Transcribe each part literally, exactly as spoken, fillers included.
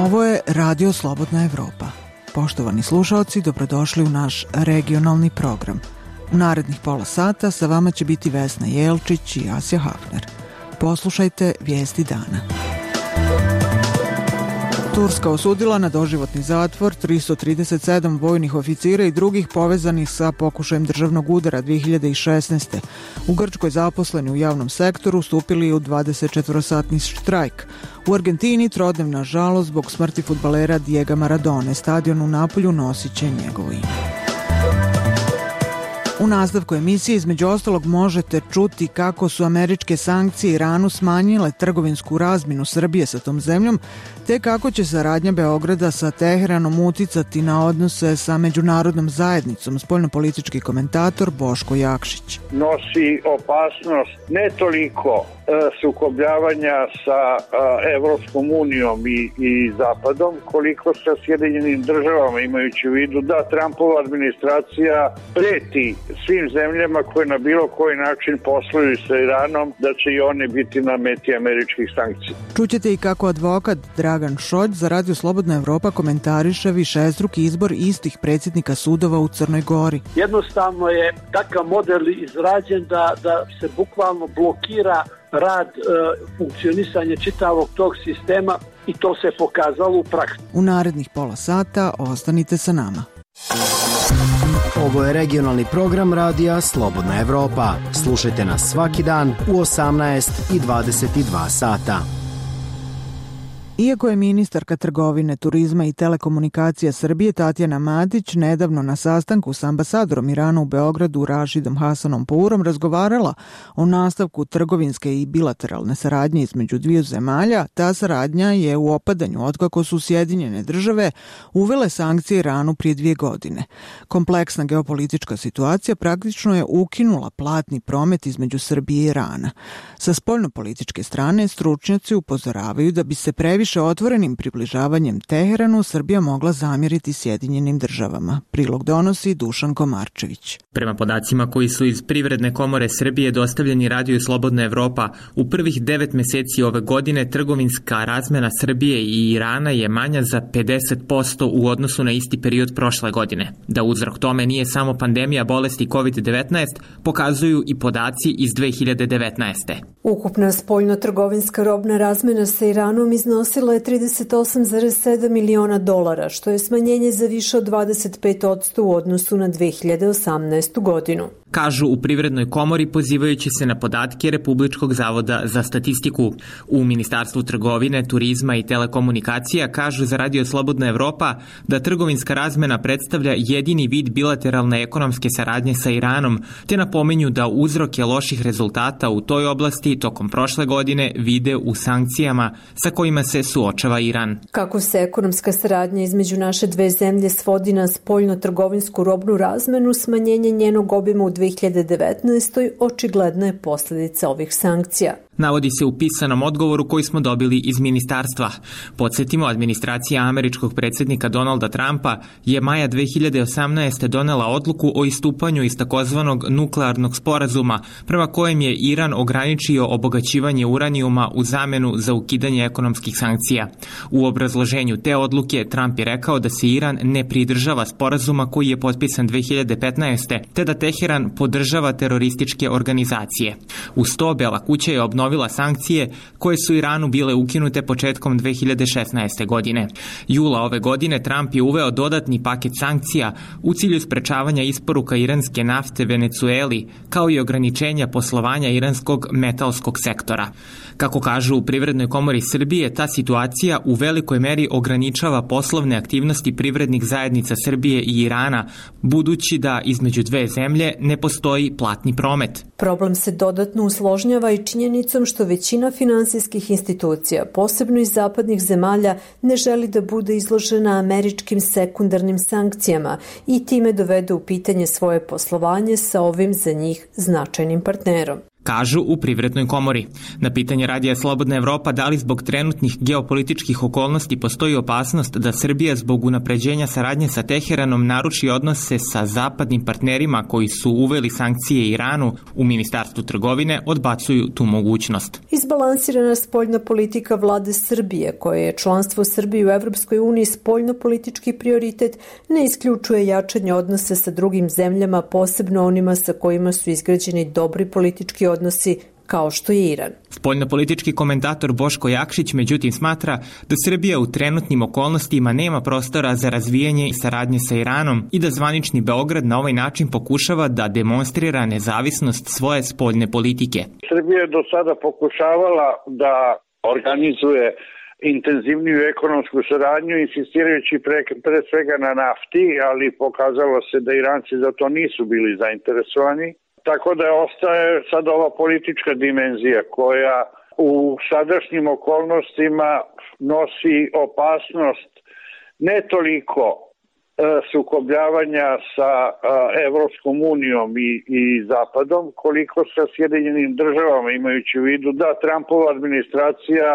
Ovo je Radio Slobodna Evropa. Poštovani slušaoci, dobrodošli u naš regionalni program. U narednih pola sata sa vama će biti Vesna Jelčić i Asja Hafner. Poslušajte vijesti dana. Turska osudila na doživotni zatvor tristo trideset sedam vojnih oficira i drugih povezanih sa pokušajem državnog udara dve hiljade šesnaeste. U Grčkoj zaposleni u javnom sektoru stupili u dvadesetčetvorosatni štrajk. U Argentini trodnevna žalost zbog smrti fudbalera Diega Maradone. Stadion u Napolju nosit će njegovo ime. U nastavku emisije između ostalog možete čuti kako su američke sankcije Iranu smanjile trgovinsku razmjenu Srbije sa tom zemljom, te kako će saradnja Beograda sa Teheranom uticati na odnose sa međunarodnom zajednicom, spoljnopolitički komentator Boško Jakšić. Nosi opasnost ne toliko e, sukobljavanja sa e, Evropskom unijom i, i Zapadom, koliko sa Sjedinjenim državama, imajući u vidu da Trumpova administracija preti svim zemljama koje na bilo koji način posluju sa Iranom, da će i one biti na meti američkih sankcija. Čućete i kako advokat Dragan Šolj za Radio Slobodna Evropa komentariše višestruki izbor istih predsjednika sudova u Crnoj Gori. Jednostavno je takav model izrađen da, da se bukvalno blokira rad, e, funkcionisanje čitavog tog sistema i to se pokazalo u praksi. U narednih pola sata ostanite sa nama. Ovo je regionalni program radija Slobodna Evropa. Slušajte nas svaki dan u osamnaest i dvadeset dva sata. Iako je ministarka trgovine, turizma i telekomunikacija Srbije Tatjana Matić nedavno na sastanku s ambasadorom Irana u Beogradu Rašidom Hasanom Pourom razgovarala o nastavku trgovinske i bilateralne saradnje između dviju zemalja, ta saradnja je u opadanju otkako su Sjedinjene države uvele sankcije Iranu prije dvije godine. Kompleksna geopolitička situacija praktično je ukinula platni promet između Srbije i Irana. Sa spoljnopolitičke strane stručnjaci upozoravaju da bi se previše otvorenim približavanjem Teheranu Srbija mogla zamjeriti Sjedinjenim državama. Prilog donosi Dušan Komarčević. Prema podacima koji su iz Privredne komore Srbije dostavljeni Radiju Slobodna Evropa, u prvih devet meseci ove godine trgovinska razmena Srbije i Irana je manja za pedeset posto u odnosu na isti period prošle godine. Da uzrok tome nije samo pandemija bolesti kovid devetnaest, pokazuju i podaci iz dve hiljade devetnaeste. Ukupna spoljno-trgovinska robna razmena sa Iranom iznosila je trideset osam zarez sedam miliona dolara, što je smanjenje za više od dvadeset pet posto u odnosu na dve hiljade osamnaestu godinu. Kažu u Privrednoj komori pozivajući se na podatke Republičkog zavoda za statistiku. U Ministarstvu trgovine, turizma i telekomunikacija kažu za Radio Slobodna Evropa da trgovinska razmena predstavlja jedini vid bilateralne ekonomske saradnje sa Iranom, te napomenju da uzroke loših rezultata u toj oblasti tokom prošle godine vide u sankcijama sa kojima se suočava Iran. Kako se ekonomska saradnja između naše dve zemlje svodi na spoljno-trgovinsku robnu razmenu, smanjenje njenog obima u dve hiljade devetnaestoj očigledna je posljedica ovih sankcija. Navodi se u pisanom odgovoru koji smo dobili iz ministarstva. Podsjetimo, administracija američkog predsjednika Donalda Trumpa je maja dve hiljade osamnaeste donela odluku o istupanju iz takozvanog nuklearnog sporazuma, prema kojem je Iran ograničio obogaćivanje uranijuma u zamenu za ukidanje ekonomskih sankcija. U obrazloženju te odluke Trump je rekao da se Iran ne pridržava sporazuma koji je potpisan dve hiljade petnaeste, te da Teheran podržava terorističke organizacije. Uz to Bela kuća je obnovila sankcije koje su Iranu bile ukinute početkom dve hiljade šesnaeste. godine. Jula ove godine Trump je uveo dodatni paket sankcija u cilju sprečavanja isporuka iranske nafte Venecueli, kao i ograničenja poslovanja iranskog metalskog sektora. Kako kažu u Privrednoj komori Srbije, ta situacija u velikoj meri ograničava poslovne aktivnosti privrednih zajednica Srbije i Irana, budući da između dve zemlje ne postoji platni promet. Problem se dodatno usložnjava i činjenicom što većina finansijskih institucija, posebno iz zapadnih zemalja, ne želi da bude izložena američkim sekundarnim sankcijama i time dovede u pitanje svoje poslovanje sa ovim za njih značajnim partnerom. kažu u Privrednoj komori. Na pitanje Radija Slobodna Evropa da li zbog trenutnih geopolitičkih okolnosti postoji opasnost da Srbija zbog unapređenja saradnje sa Teheranom naruši odnose sa zapadnim partnerima koji su uveli sankcije Iranu, u Ministarstvu trgovine odbacuju tu mogućnost. Izbalansirana spoljna politika vlade Srbije, koje je članstvo Srbije u Evropskoj uniji spoljno-politički prioritet, ne isključuje jačanje odnose sa drugim zemljama, posebno onima sa kojima su izgrađeni dobri politički odnosi, kao što je Iran. Spoljnopolitički komentator Boško Jakšić međutim smatra da Srbija u trenutnim okolnostima nema prostora za razvijanje saradnje sa Iranom i da zvanični Beograd na ovaj način pokušava da demonstrira nezavisnost svoje spoljne politike. Srbija je do sada pokušavala da organizuje intenzivniju ekonomsku saradnju, insistirajući pre, pre svega na nafti, ali pokazalo se da Iranci za to nisu bili zainteresovani. Tako da ostaje sad ova politička dimenzija koja u sadašnjim okolnostima nosi opasnost ne toliko e, sukobljavanja sa e, Evropskom unijom i, i Zapadom, koliko sa Sjedinjenim državama, imajući u vidu da Trumpova administracija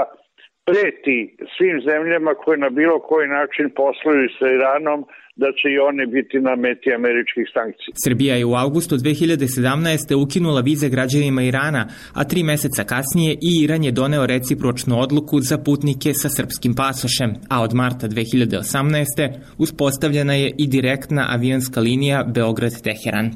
preti svim zemljama koje na bilo koji način posluju sa Iranom da će i one biti na meti američkih sankcija. Srbija je u avgustu dve hiljade sedamnaeste. ukinula vize građanima Irana, a tri meseca kasnije i Iran je doneo recipročnu odluku za putnike sa srpskim pasošem, a od marta dve hiljade osamnaeste. uspostavljena je i direktna avionska linija Beograd-Teheran.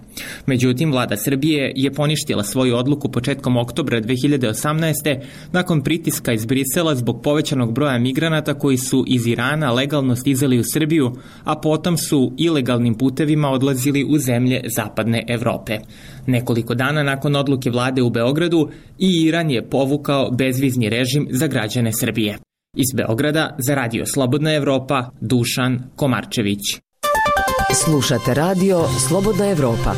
Međutim, vlada Srbije je poništila svoju odluku početkom oktobra dve hiljade osamnaeste. nakon pritiska iz Brisela zbog povećanog broja migranata koji su iz Irana legalno stizali u Srbiju, a potom su ilegalnim putevima odlazili u zemlje zapadne Evrope. Nekoliko dana nakon odluke vlade u Beogradu i Iran je povukao bezvizni režim za građane Srbije. Iz Beograda za Radio Slobodna Evropa, Dušan Komarčević. Slušate Radio Slobodna Evropa.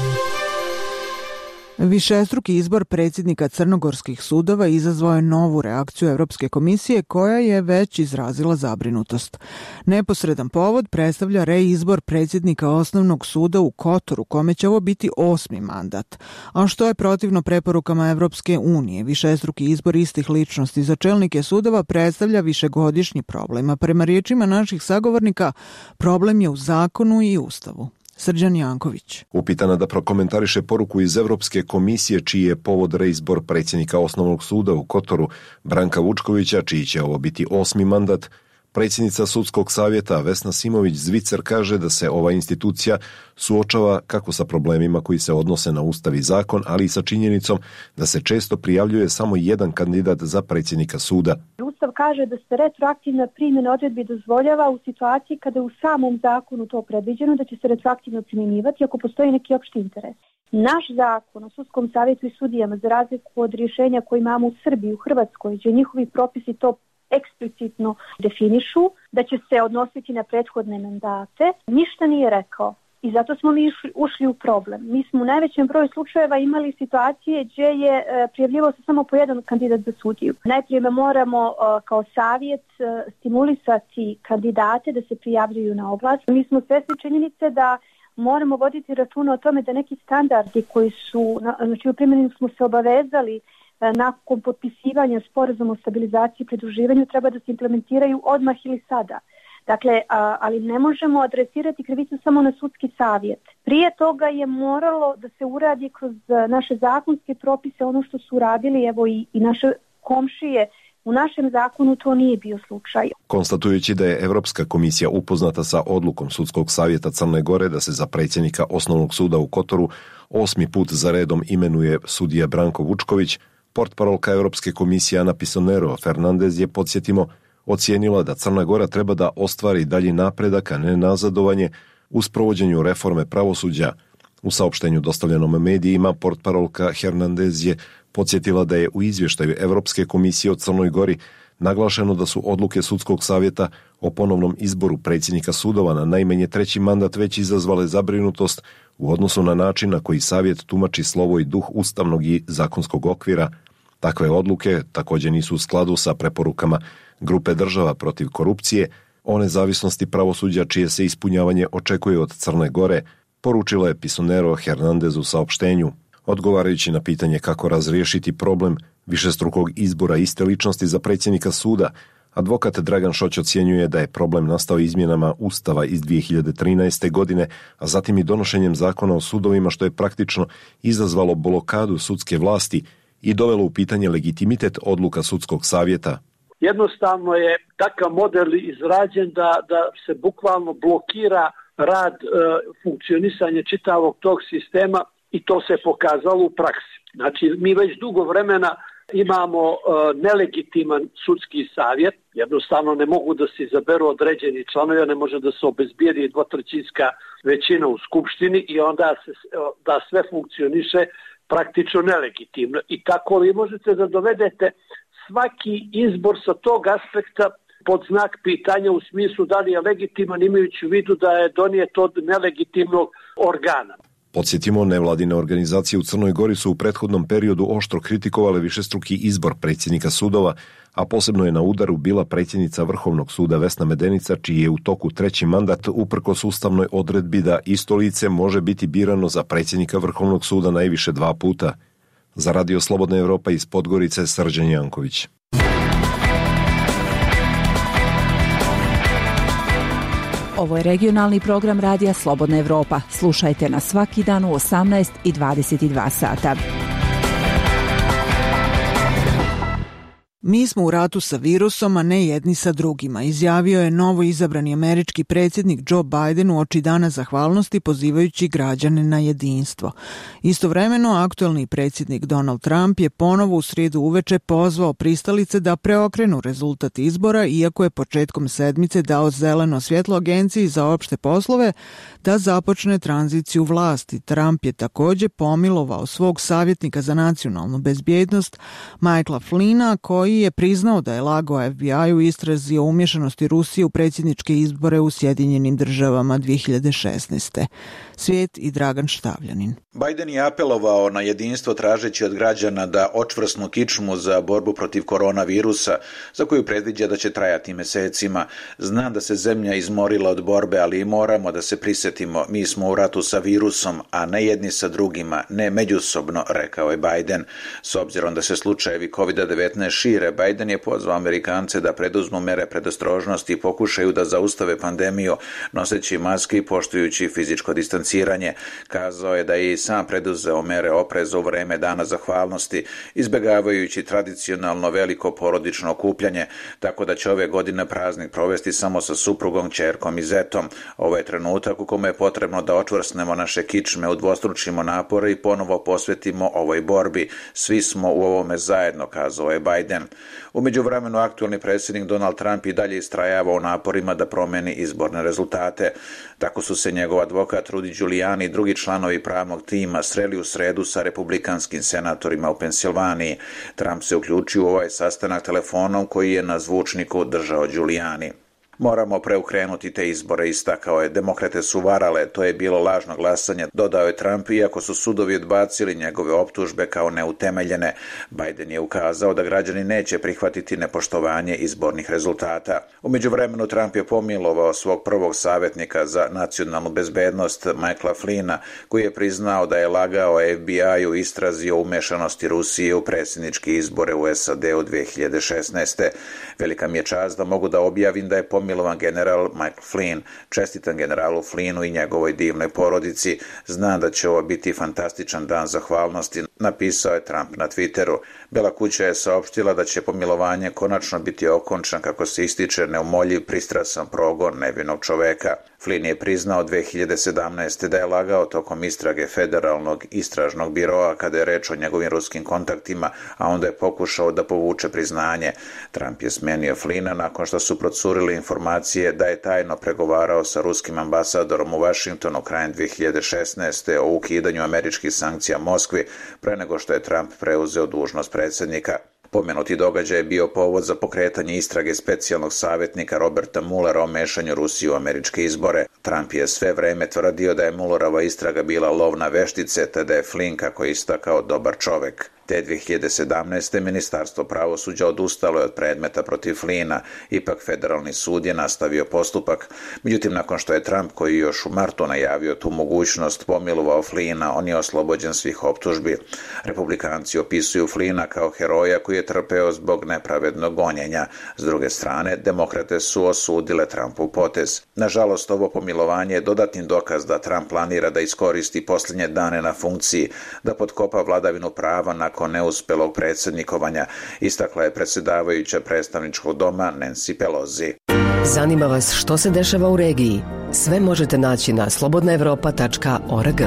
Višestruki izbor predsjednika crnogorskih sudova izazvao je novu reakciju Evropske komisije koja je već izrazila zabrinutost. Neposredan povod predstavlja reizbor predsjednika osnovnog suda u Kotoru, kome će ovo biti osmi mandat. A što je protivno preporukama Evropske unije, višestruki izbor istih ličnosti za čelnike sudova predstavlja višegodišnji problem, a prema riječima naših sagovornika problem je u zakonu i ustavu. Srđan Janković. Upitana da prokomentariše poruku iz Evropske komisije čiji je povod reizbor predsjednika osnovnog suda u Kotoru Branka Vučkovića, čiji će ovo biti osmi mandat, predsjednica sudskog savjeta Vesna Simović-Zvicer kaže da se ova institucija suočava kako sa problemima koji se odnose na ustav i zakon, ali i sa činjenicom da se često prijavljuje samo jedan kandidat za predsjednika suda. Ustav kaže da se retroaktivna primjena odredbi dozvoljava u situaciji kada je u samom zakonu to predviđeno da će se retroaktivno primjenjivati ako postoji neki opšti interes. Naš zakon o sudskom savjetu i sudijama, za razliku od rješenja koje imamo u Srbiji, u Hrvatskoj, gdje njihovi propisi to eksplicitno definišu, da će se odnositi na prethodne mandate, ništa nije rekao. I zato smo mi ušli u problem. Mi smo u najvećem broju slučajeva imali situacije gdje je prijavljivao se samo po jedan kandidat za sudiju. Najprije moramo kao savjet stimulisati kandidate da se prijavljuju na oglas. Mi smo svjesni činjenice da moramo voditi računa o tome da neki standardi koji su, znači u primjeni smo se obavezali nakon potpisivanja sporazuma o stabilizaciji i pridruživanju treba da se implementiraju odmah ili sada. Dakle, a, ali ne možemo adresirati krivicu samo na sudski savjet. Prije toga je moralo da se uradi kroz naše zakonske propise ono što su uradili, evo i, i naše komšije. U našem zakonu to nije bio slučaj. Konstatujući da je Evropska komisija upoznata sa odlukom Sudskog savjeta Crne Gore da se za predsjednika osnovnog suda u Kotoru osmi put za redom imenuje sudija Branko Vučković, portparolka Evropske komisije Ana Pisonero Fernandez je, podsjetimo, ocijenila da Crna Gora treba da ostvari dalji napredak, a ne nazadovanje u sprovođenju reforme pravosuđa. U saopštenju dostavljenom medijima portparolka Hernandez je podsjetila da je u izvještaju Evropske komisije o Crnoj Gori naglašeno da su odluke Sudskog savjeta o ponovnom izboru predsjednika sudova na najmanje treći mandat već izazvale zabrinutost u odnosu na način na koji savjet tumači slovo i duh ustavnog i zakonskog okvira. Takve odluke također nisu u skladu sa preporukama grupe država protiv korupcije o nezavisnosti pravosuđa čije se ispunjavanje očekuje od Crne Gore, poručila je Pisonero Hernandez u saopštenju. Odgovarajući na pitanje kako razriješiti problem višestrukog izbora iste ličnosti za predsjednika suda, advokat Dragan Šoć ocjenjuje da je problem nastao izmjenama Ustava iz dvije hiljade trinaeste. godine, a zatim i donošenjem zakona o sudovima, što je praktično izazvalo blokadu sudske vlasti i dovelo u pitanje legitimitet odluka sudskog savjeta. Jednostavno je takav model izrađen da, da se bukvalno blokira rad, e, funkcionisanje čitavog tog sistema i to se pokazalo u praksi. Znači, mi već dugo vremena imamo e, nelegitiman sudski savjet, jednostavno ne mogu da se izaberu određeni članovi, ne može da se obezbijedi dvotrećinska većina u skupštini i onda se, da sve funkcioniše praktično nelegitimno. I tako vi možete da dovedete svaki izbor sa tog aspekta pod znak pitanja u smislu da li je legitiman, imajući u vidu da je donijet od nelegitimnog organa. Podsjetimo, nevladine organizacije u Crnoj Gori su u prethodnom periodu oštro kritikovale višestruki izbor predsjednika sudova, a posebno je na udaru bila predsjednica Vrhovnog suda Vesna Medenica, čiji je u toku treći mandat uprkos ustavnoj odredbi da isto lice može biti birano za predsjednika Vrhovnog suda najviše dva puta. Za Radio Slobodna Evropa iz Podgorice, Srđan Janković. Ovo je regionalni program Radija Slobodna Evropa. Slušajte nas svaki dan u osamnaest i dvadeset dva sata. Mi smo u ratu sa virusom, a ne jedni sa drugima, izjavio je novo izabrani američki predsjednik Joe Biden uoči Dana zahvalnosti pozivajući građane na jedinstvo. Istovremeno, aktuelni predsjednik Donald Trump je ponovo u srijedu uveče pozvao pristalice da preokrenu rezultat izbora, iako je početkom sedmice dao zeleno svjetlo Agenciji za opšte poslove da započne tranziciju vlasti. Trump je također pomilovao svog savjetnika za nacionalnu bezbjednost Michaela Flynna, koji je priznao da je lagao F B I u istrazi o umješanosti Rusije u predsjedničke izbore u Sjedinjenim državama dvije hiljade šesnaeste. Svijet i Dragan Štavljanin. Biden je apelovao na jedinstvo tražeći od građana da očvrsnu kičmu za borbu protiv koronavirusa, za koju predviđa da će trajati mesecima. Znam da se zemlja izmorila od borbe, ali i moramo da se prisjetimo. Mi smo u ratu sa virusom, a ne jedni sa drugima, ne međusobno, rekao je Biden. S obzirom da se slučajevi kovid devetnaest šire, Biden je pozvao Amerikance da preduzmu mere predostrožnosti i pokušaju da zaustave pandemiju, noseći maske i poštujući fizičko distanciranje. Kazao je da je i sam preduzeo mere opreza u vreme Dana zahvalnosti, izbjegavajući tradicionalno veliko porodično okupljanje, tako da će ove godine praznik provesti samo sa suprugom, ćerkom i zetom. Ovo je trenutak u kome je potrebno da očvrsnemo naše kičme, udvostručimo napore i ponovo posvetimo ovoj borbi. Svi smo u ovome zajedno, kazao je Biden. U međuvremenu aktualni predsjednik Donald Trump i dalje istrajava u naporima da promeni izborne rezultate. Tako su se njegov advokat Rudy Giuliani i drugi članovi pravnog tima sreli u sredu sa republikanskim senatorima u Pensilvaniji. Trump se uključio u ovaj sastanak telefonom koji je na zvučniku držao Giuliani. Moramo preokrenuti te izbore, istakao je. Demokrate su varale, to je bilo lažno glasanje, dodao je Trump, iako su sudovi odbacili njegove optužbe kao neutemeljene. Biden je ukazao da građani neće prihvatiti nepoštovanje izbornih rezultata. U međuvremenu Trump je pomilovao svog prvog savjetnika za nacionalnu bezbednost Michaela Flynna, koji je priznao da je lagao F B I u istrazi o umešanosti Rusije u predsjedničke izbore u S A D u dvije hiljade šesnaeste. Velika mi je čast da mogu da objavim da je pomilovan Milovan general Michael Flynn. Čestitam generalu Flynnu i njegovoj divnoj porodici. Znam da će ovo biti fantastičan dan zahvalnosti, napisao je Trump na Twitteru. Bela kuća je saopštila da će pomilovanje konačno biti okončan, kako se ističe neumoljiv pristrasan progon nevinog čoveka. Flynn je priznao dvije hiljade sedamnaeste. da je lagao tokom istrage Federalnog istražnog biroa kada je reč o njegovim ruskim kontaktima, a onda je pokušao da povuče priznanje. Trump je smenio Flynna nakon što su procurili informacije da je tajno pregovarao sa ruskim ambasadorom u Vašingtonu krajem dvije hiljade šesnaeste. o ukidanju američkih sankcija Moskvi pre nego što je Trump preuzeo dužnost predsjednika. Pomenuti događaj je bio povod za pokretanje istrage specijalnog savjetnika Roberta Muellera o mešanju Rusije u američke izbore. Trump je sve vreme tvrdio da je Muellerova istraga bila lov na veštice, te da je Flynn, kako je istakao, dobar čovek. Te dve hiljade sedamnaeste. Ministarstvo pravosuđa odustalo je od predmeta protiv Flina, ipak federalni sud je nastavio postupak. Međutim, nakon što je Trump, koji još u martu najavio tu mogućnost, pomilovao Flina, on je oslobođen svih optužbi. Republikanci opisuju Flina kao heroja koji je trpeo zbog nepravednog gonjenja. S druge strane, demokrate su osudile Trumpov potez. Nažalost, ovo pomilovanje je dodatni dokaz da Trump planira da iskoristi posljednje dane na funkciji, da potkopa vladavinu prava nakon neuspelog predsjednikovanja, istakla je predsjedavajuća predstavničkog doma Nancy Pelosi. Zanima vas što se dešava u regiji? Sve možete naći na slobodna evropa tačka org.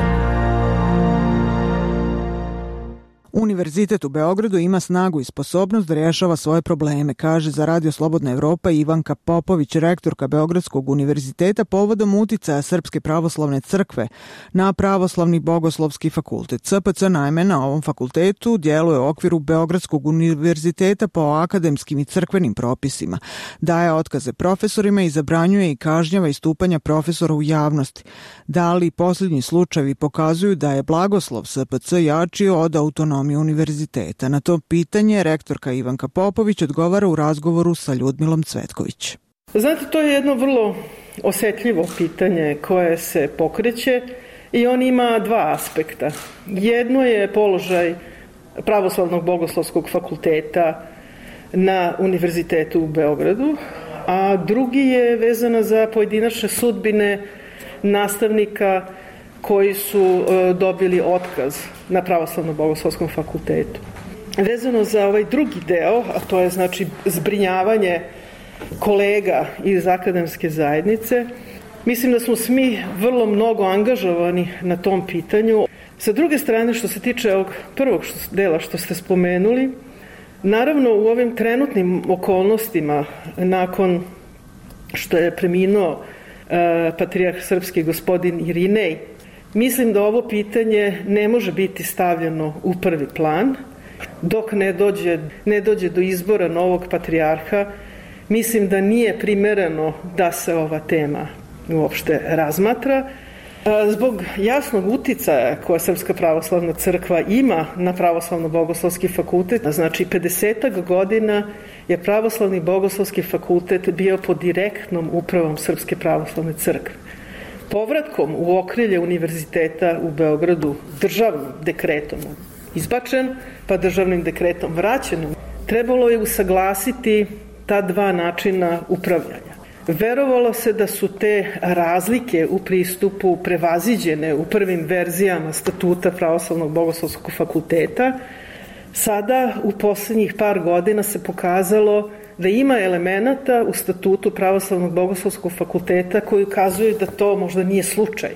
Univerzitet u Beogradu ima snagu i sposobnost da rješava svoje probleme, kaže za Radio Slobodna Evropa Ivanka Popović, rektorka Beogradskog univerziteta, povodom uticaja Srpske pravoslavne crkve na Pravoslavni bogoslovski fakultet. S P C naime na ovom fakultetu djeluje u okviru Beogradskog univerziteta po akademskim i crkvenim propisima. Daje otkaze profesorima i zabranjuje i kažnjava istupanja profesora u javnosti. Da li posljednji slučajevi pokazuju da je blagoslov S P C jačio od autonomije univerziteta? Na to pitanje rektorka Ivanka Popović odgovara u razgovoru sa Ljudmilom Cvetković. Znate, to je jedno vrlo osjetljivo pitanje koje se pokreće i on ima dva aspekta. Jedno je položaj Pravoslavnog bogoslovskog fakulteta na Univerzitetu u Beogradu, a drugi je vezano za pojedinačne sudbine nastavnika koji su dobili otkaz na Pravoslavnom bogoslovskom fakultetu. Vezano za ovaj drugi deo, a to je znači zbrinjavanje kolega iz akademske zajednice, mislim da smo svi vrlo mnogo angažovani na tom pitanju. Sa druge strane, što se tiče ovog prvog dela što ste spomenuli, naravno u ovim trenutnim okolnostima, nakon što je preminuo e, patrijarh srpski gospodin Irinej, mislim da ovo pitanje ne može biti stavljeno u prvi plan. Dok ne dođe, ne dođe do izbora novog patrijarha, mislim da nije primereno da se ova tema uopšte razmatra. Zbog jasnog uticaja koja Srpska pravoslavna crkva ima na Pravoslavno bogoslovski fakultet, znači pedesetak godina je Pravoslavni bogoslovski fakultet bio pod direktnom upravom Srpske pravoslavne crkve. Povratkom u okrilje univerziteta u Beogradu državnim dekretom izbačen, pa državnim dekretom vraćen, trebalo je usaglasiti ta dva načina upravljanja. Verovalo se da su te razlike u pristupu prevaziđene u prvim verzijama statuta Pravoslavnog bogoslovskog fakulteta. Sada u posljednjih par godina se pokazalo da ima elemenata u statutu Pravoslavnog bogoslovskog fakulteta koji ukazuju da to možda nije slučaj.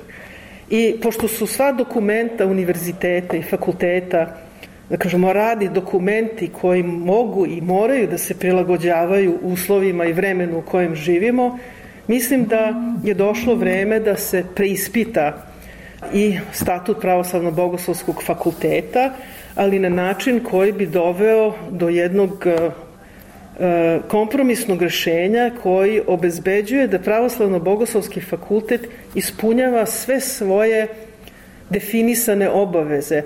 I pošto su sva dokumenta univerziteta i fakulteta, da kažemo, radi dokumenti koji mogu i moraju da se prilagođavaju uslovima i vremenu u kojem živimo, mislim da je došlo vreme da se preispita i statut Pravoslavnog bogoslovskog fakulteta, ali na način koji bi doveo do jednog kompromisnog rješenja koji obezbeđuje da Pravoslavno bogoslovski fakultet ispunjava sve svoje definisane obaveze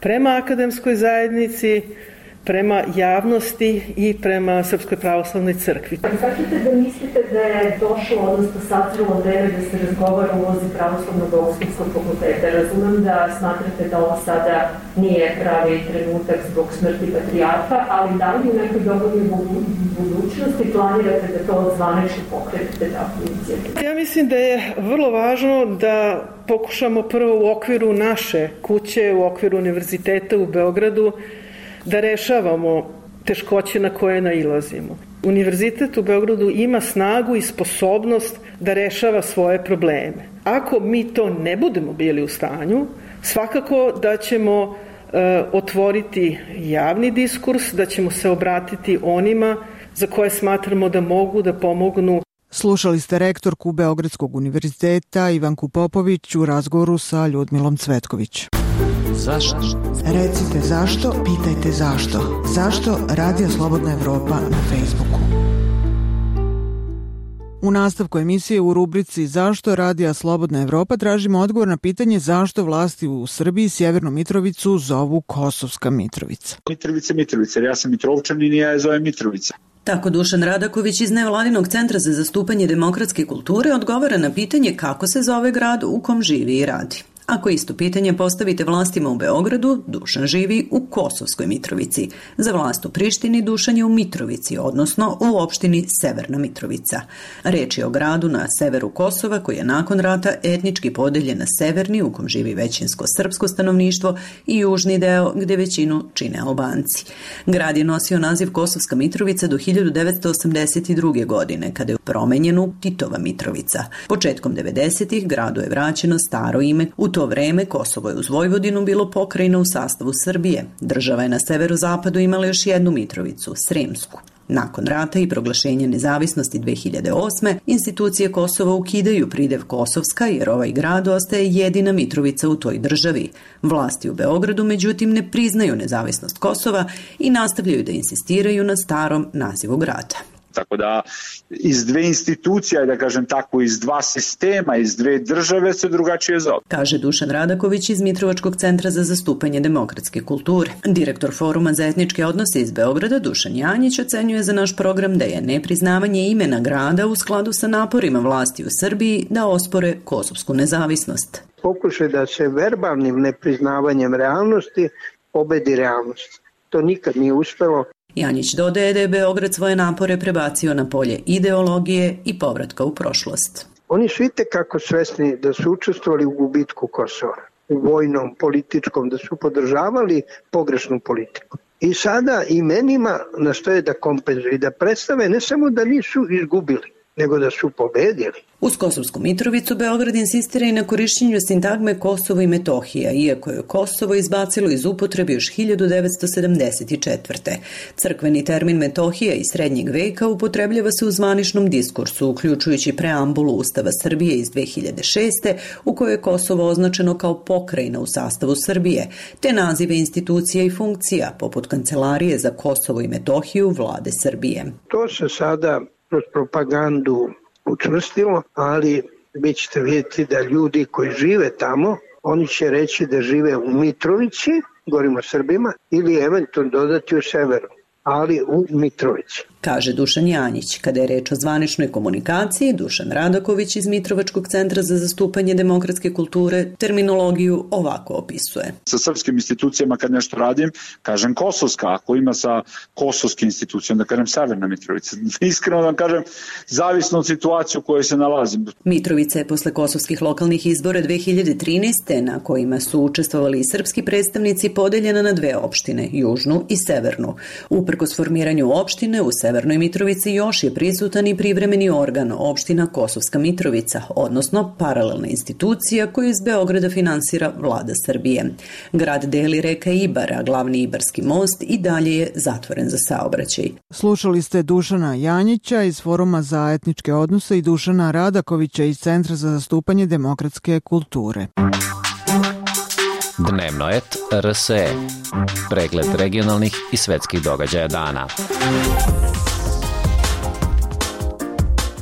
prema akademskoj zajednici, prema javnosti i prema Srpskoj pravoslavnoj crkvi. Kažete da mislite da je došlo, odnosno sazrelo vreme da se razgovara o ulozi Pravoslavnog bogoslovskog fakulteta? Razumem da smatrate da ovo sada nije pravi trenutak zbog smrti patrijarha, ali da li u nekoj dogodnoj budućnosti planirate da to zvanično pokretite takvu inicijativu? Ja mislim da je vrlo važno da pokušamo prvo u okviru naše kuće, u okviru univerziteta u Beogradu, da rešavamo teškoće na koje nailazimo. Univerzitet u Beogradu ima snagu i sposobnost da rešava svoje probleme. Ako mi to ne budemo bili u stanju, svakako da ćemo e, otvoriti javni diskurs, da ćemo se obratiti onima za koje smatramo da mogu da pomognu. Slušali ste rektorku Beogradskog univerziteta Ivanku Popović u razgovoru sa Ljudmilom Cvetković. Zašto? Recite zašto, pitajte zašto. Zašto Radio Slobodna Evropa na Facebooku. U nastavku emisije u rubrici Zašto radija Slobodna Evropa tražimo odgovor na pitanje zašto vlasti u Srbiji Sjevernu Mitrovicu zovu Kosovska Mitrovica. Mitrovica, Mitrovica, jer ja sam Mitrovčanin i ja je zovem Mitrovica. Tako Dušan Radaković iz Nevladinog centra za zastupanje demokratske kulture odgovara na pitanje kako se zove grad u kom živi i radi. Ako isto pitanje postavite vlastima u Beogradu, Dušan živi u Kosovskoj Mitrovici. Za vlast u Prištini Dušan je u Mitrovici, odnosno u opštini Severna Mitrovica. Reč je o gradu na severu Kosova koji je nakon rata etnički podeljen na severni, u kom živi većinsko srpsko stanovništvo, i južni deo gde većinu čine Albanci. Grad je nosio naziv Kosovska Mitrovica do hiljadu devetsto osamdeset druge. godine, kada je promenjen u Titova Mitrovica. Početkom devedesetih gradu je vraćeno staro ime. U to vreme Kosovo je uz Vojvodinu bilo pokrajina u sastavu Srbije. Država je na severozapadu imala još jednu Mitrovicu, Sremsku. Nakon rata i proglašenja nezavisnosti dve hiljade osme. institucije Kosova ukidaju pridev Kosovska jer ovaj grad ostaje jedina Mitrovica u toj državi. Vlasti u Beogradu međutim ne priznaju nezavisnost Kosova i nastavljaju da insistiraju na starom nazivu grada. Tako da iz dve institucija, da kažem tako, iz dva sistema, iz dve države se drugačije zove. Kaže Dušan Radaković iz Mitrovačkog centra za zastupanje demokratske kulture. Direktor Foruma za etničke odnose iz Beograda, Dušan Janjić, ocenjuje za naš program da je nepriznavanje imena grada u skladu sa naporima vlasti u Srbiji da ospore kosovsku nezavisnost. Pokušaj da se verbalnim nepriznavanjem realnosti pobedi realnost. To nikad nije uspelo. Janjić dodaje da je Beograd svoje napore prebacio na polje ideologije i povratka u prošlost. Oni su itekako svesni da su učestvovali u gubitku Kosova, u vojnom, političkom, da su podržavali pogrešnu politiku. I sada imenima nastoje da kompenzuju i da predstave ne samo da nisu izgubili, nego da su pobedili. Uz Kosovsku Mitrovicu Beograd insistira i na korišćenju sintagme Kosovo i Metohija, iako je Kosovo izbacilo iz upotrebe još hiljadu devetsto sedamdeset četvrte. Crkveni termin Metohija iz srednjeg veka upotrebljava se u zvaničnom diskursu, uključujući preambulu Ustava Srbije iz dve hiljade šeste. u kojoj je Kosovo označeno kao pokrajina u sastavu Srbije, te nazive institucija i funkcija, poput Kancelarije za Kosovo i Metohiju vlade Srbije. To se sada kroz propagandu učvrstilo, ali vi ćete vidjeti da ljudi koji žive tamo, oni će reći da žive u Mitrovici, govorimo o Srbima, ili eventualno dodati u severu, ali u Mitrovici. Kaže Dušan Janjić. Kada je reč o zvaničnoj komunikaciji, Dušan Radaković iz Mitrovačkog centra za zastupanje demokratske kulture terminologiju ovako opisuje. Sa srpskim institucijama kad nešto radim, kažem Kosovska, ako ima sa kosovskim institucijom, da kažem Severna Mitrovica. Iskreno da vam kažem, zavisno od situacije u kojoj se nalazim. Mitrovica je posle kosovskih lokalnih izbora dve hiljade trinaeste. na kojima su učestvovali i srpski predstavnici, podeljena na dve opštine, južnu i severnu. Uprkos formiranju opštine u Severnoj Mitrovici još je prisutan i privremeni organ, opština Kosovska Mitrovica, odnosno paralelna institucija koju iz Beograda finansira vlada Srbije. Grad deli reka Ibar, a glavni Ibarski most i dalje je zatvoren za saobraćaj. Slušali ste Dušana Janjića iz Foruma za etničke odnose i Dušana Radakovića iz Centra za zastupanje demokratske kulture. Dnevno et R S E. Pregled regionalnih i svetskih događaja dana.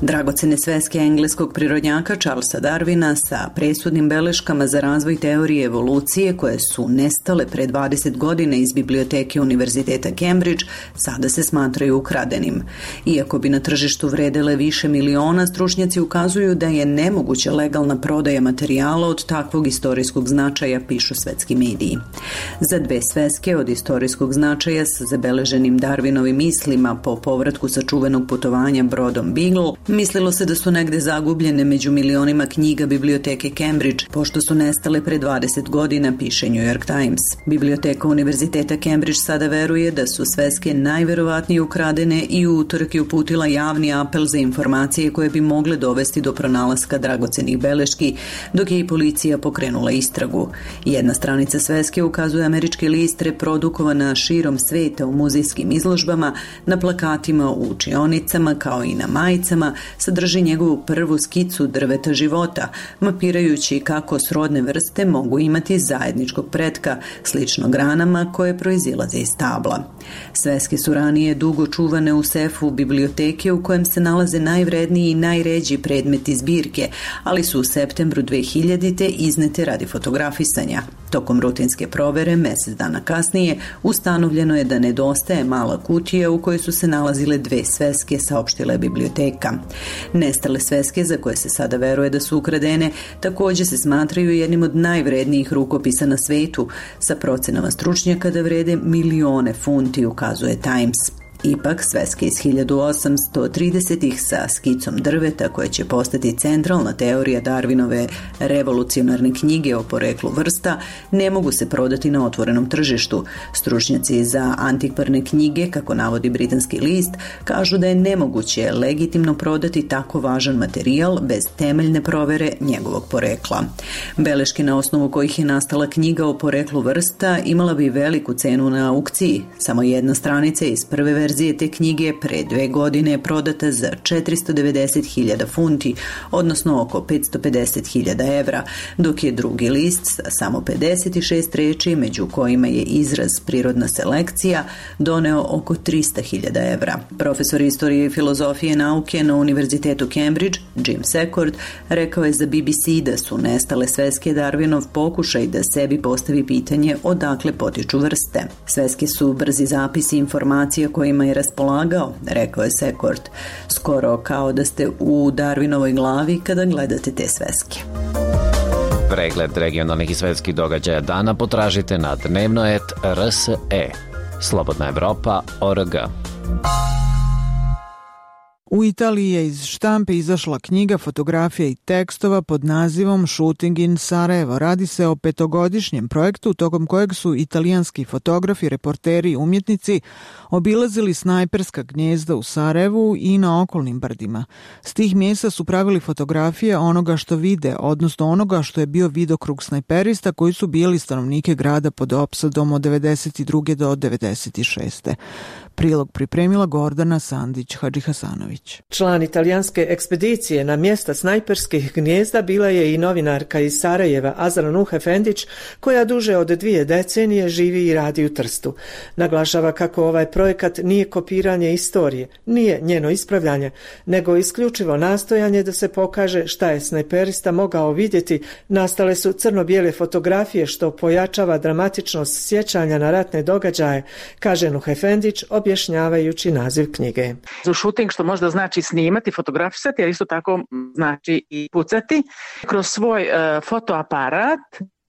Dragocene sveske engleskog prirodnjaka Charlesa Darwina sa presudnim beleškama za razvoj teorije evolucije koje su nestale pre dvadeset godina iz biblioteke Univerziteta Cambridge sada se smatraju ukradenim. Iako bi na tržištu vredele više miliona, stručnjaci ukazuju da je nemoguća legalna prodaja materijala od takvog istorijskog značaja, pišu svetski mediji. Za dve sveske od istorijskog značaja sa zabeleženim Darwinovim mislima po povratku sa čuvenog putovanja brodom Beagle, mislilo se da su negde zagubljene među milionima knjiga biblioteke Cambridge, pošto su nestale pre dvadeset godina, piše New York Times. Biblioteka Univerziteta Cambridge sada veruje da su sveske najverovatnije ukradene i u utorak je uputila javni apel za informacije koje bi mogle dovesti do pronalaska dragocenih beleški, dok je i policija pokrenula istragu. Jedna stranica sveske ukazuje američke list reprodukovana širom sveta u muzejskim izložbama, na plakatima u učionicama kao i na majicama, sadrži njegovu prvu skicu drveta života, mapirajući kako srodne vrste mogu imati zajedničkog pretka, slično granama koje proizilaze iz stabla. Sveske su ranije dugo čuvane u sefu biblioteke u kojem se nalaze najvredniji i najređi predmeti zbirke, ali su u septembru dve hiljadite iznete radi fotografisanja. Tokom rutinske provere, mesec dana kasnije, ustanovljeno je da nedostaje mala kutija u kojoj su se nalazile dve sveske, saopštila je biblioteka. Nestale sveske, za koje se sada veruje da su ukradene, također se smatraju jednim od najvrednijih rukopisa na svetu, sa procenama stručnjaka da vrede milione funti, ukazuje Times. Ipak, sveske iz hiljadu osamsto tridesetih sa skicom drveta koja će postati centralna teorija Darwinove revolucionarne knjige o poreklu vrsta ne mogu se prodati na otvorenom tržištu. Stručnjaci za antikvarne knjige, kako navodi britanski list, kažu da je nemoguće legitimno prodati tako važan materijal bez temeljne provere njegovog porekla. Beleške na osnovu kojih je nastala knjiga o poreklu vrsta imala bi veliku cenu na aukciji. Samo jedna stranica iz prve verzije Verzije te knjige pre dve godine je prodata za četiristo devedeset hiljada funti, odnosno oko petsto pedeset hiljada evra, dok je drugi list sa samo pedeset šest reči, među kojima je izraz prirodna selekcija, doneo oko tristo hiljada evra. Profesor istorije i filozofije nauke na Univerzitetu Cambridge, Jim Secord, rekao je za B B C da su nestale sveske Darwinov pokušaj da sebi postavi pitanje odakle potiču vrste. Sveske su brzi zapisi informacija kojima je raspolagao, rekao je Secord, skoro kao da ste u Darwinovoj glavi kada gledate te sveske. Pregled regionalnih i svetskih događaja dana potražite na dnevnoet R S E. Slobodna Evropa точка org. U Italiji je iz štampe izašla knjiga fotografija i tekstova pod nazivom Shooting in Sarajevo. Radi se o petogodišnjem projektu tokom kojeg su italijanski fotografi, reporteri i umjetnici obilazili snajperska gnjezda u Sarajevu i na okolnim brdima. S tih mjesta su pravili fotografije onoga što vide, odnosno onoga što je bio vidokrug snajperista koji su bili stanovnike grada pod opsadom od devedeset druge do devedeset šeste. Prilog pripremila Gordana Sandić-Hadžihasanović. Član italijanske ekspedicije na mjesta snajperskih gnjezda bila je i novinarka iz Sarajeva Azra Nuh Efendić, koja duže od dvije decenije živi i radi u Trstu. Naglašava kako ovaj projekat nije kopiranje istorije, nije njeno ispravljanje, nego isključivo nastojanje da se pokaže šta je snajperista mogao vidjeti. Nastale su crno-bijele fotografije što pojačava dramatičnost sjećanja na ratne događaje, kaže Nuh Efendić, objašnjavajući naziv knjige. Za shooting, što možda znači snimati, fotografisati, ali isto tako znači i pucati. Kroz svoj uh, fotoaparat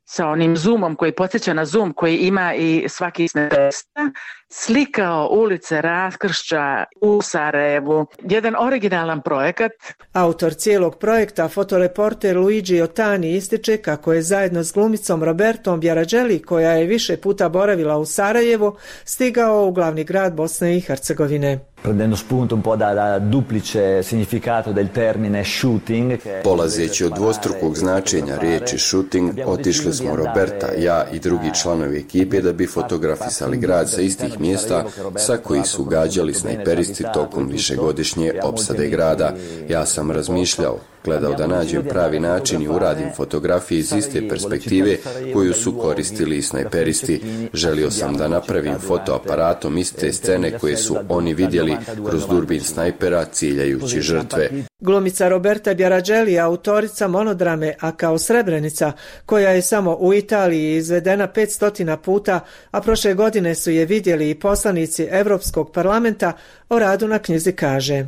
sa onim zoomom koji podsjeća na zoom koji ima i svaki snajperista, slikao ulice raskršća u Sarajevu. Jedan originalan projekat. Autor cijelog projekta, fotoreporter Luigi Otani, ističe kako je zajedno s glumicom Robertom Bjarađeli, koja je više puta boravila u Sarajevu, stigao u glavni grad Bosne i Hercegovine. Prendendo spunto un po' da, da duplice significato del termine shooting. Polazeći od dvostrukog značenja riječi shooting, otišli smo Roberta, ja i drugi članovi ekipe da bi fotografisali grad sa istih mjesta sa koji su gađali snajperisti tokom višegodišnje opsade grada. Ja sam razmišljao, gledao da nađem pravi način i uradim fotografije iz iste perspektive koju su koristili i snajperisti. Želio sam da napravim fotoaparatom iste scene koje su oni vidjeli kroz durbin snajpera ciljajući žrtve. Glumica Roberta Bjarađeli je autorica monodrame A kao Srebrenica, koja je samo u Italiji izvedena petsto puta, a prošle godine su je vidjeli i poslanici Evropskog parlamenta. O radu na knjizi kaže: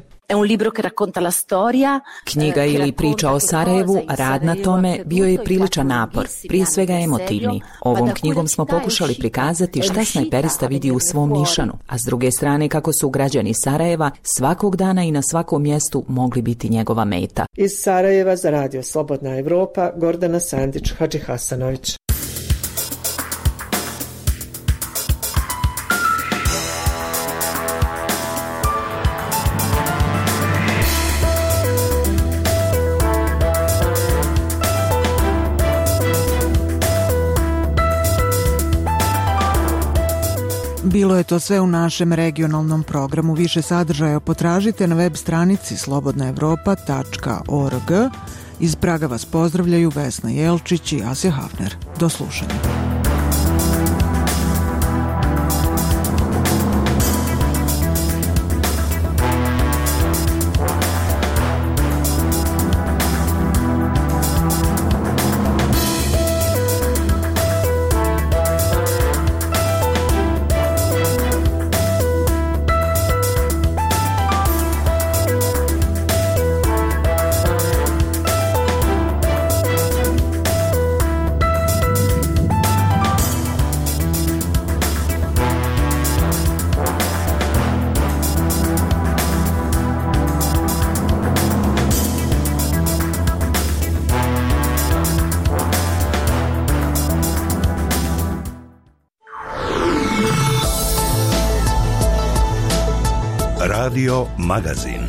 Knjiga ili priča o Sarajevu, rad na tome bio je priličan napor, prije svega emotivni. Ovom knjigom smo pokušali prikazati šta snajperista vidi u svom nišanu, a s druge strane kako su građani Sarajeva svakog dana i na svakom mjestu mogli biti njegova meta. Iz Sarajeva za radio Slobodna Evropa, Gordana Sandić-Hadžihasanović. Bilo je to sve u našem regionalnom programu. Više sadržaja potražite na web stranici slobodna evropa tačka org. Iz Praga vas pozdravljaju Vesna Jelčić i Asja Hafner. Do slušanja. Radio Magazin.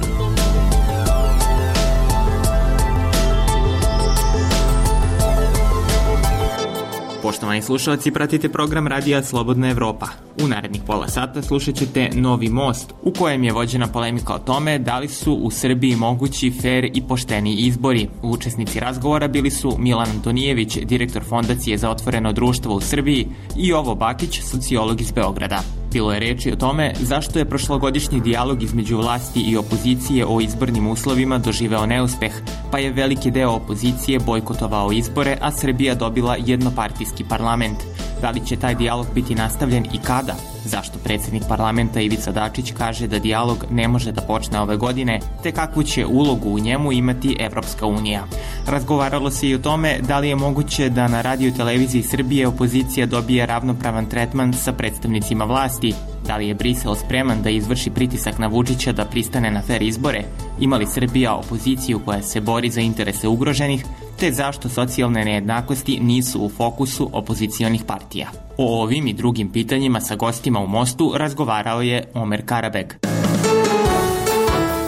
Poštovani slušalci, pratite program Radija Slobodna Evropa. U narednih pola sata slušat ćete Novi most, u kojem je vođena polemika o tome da li su u Srbiji mogući fer i pošteni izbori. Učesnici razgovora bili su Milan Antonijević, direktor Fondacije za otvoreno društvo u Srbiji, i Jovo Bakić, sociolog iz Beograda. Bilo je reči o tome zašto je prošlogodišnji dijalog između vlasti i opozicije o izbornim uslovima doživeo neuspeh, pa je veliki deo opozicije bojkotovao izbore, a Srbija dobila jednopartijski parlament. Da li će taj dijalog biti nastavljen i kada? Zašto predsjednik parlamenta Ivica Dačić kaže da dijalog ne može da počne ove godine, te kakvu će ulogu u njemu imati Evropska unija? Razgovaralo se i o tome da li je moguće da na radio televiziji Srbije opozicija dobije ravnopravan tretman sa predstavnicima vlasti, da li je Brisel spreman da izvrši pritisak na Vučića da pristane na fer izbore, ima li Srbija opoziciju koja se bori za interese ugroženih, te zašto socijalne nejednakosti nisu u fokusu opozicionih partija. O ovim i drugim pitanjima sa gostima u Mostu razgovarao je Omer Karabeg.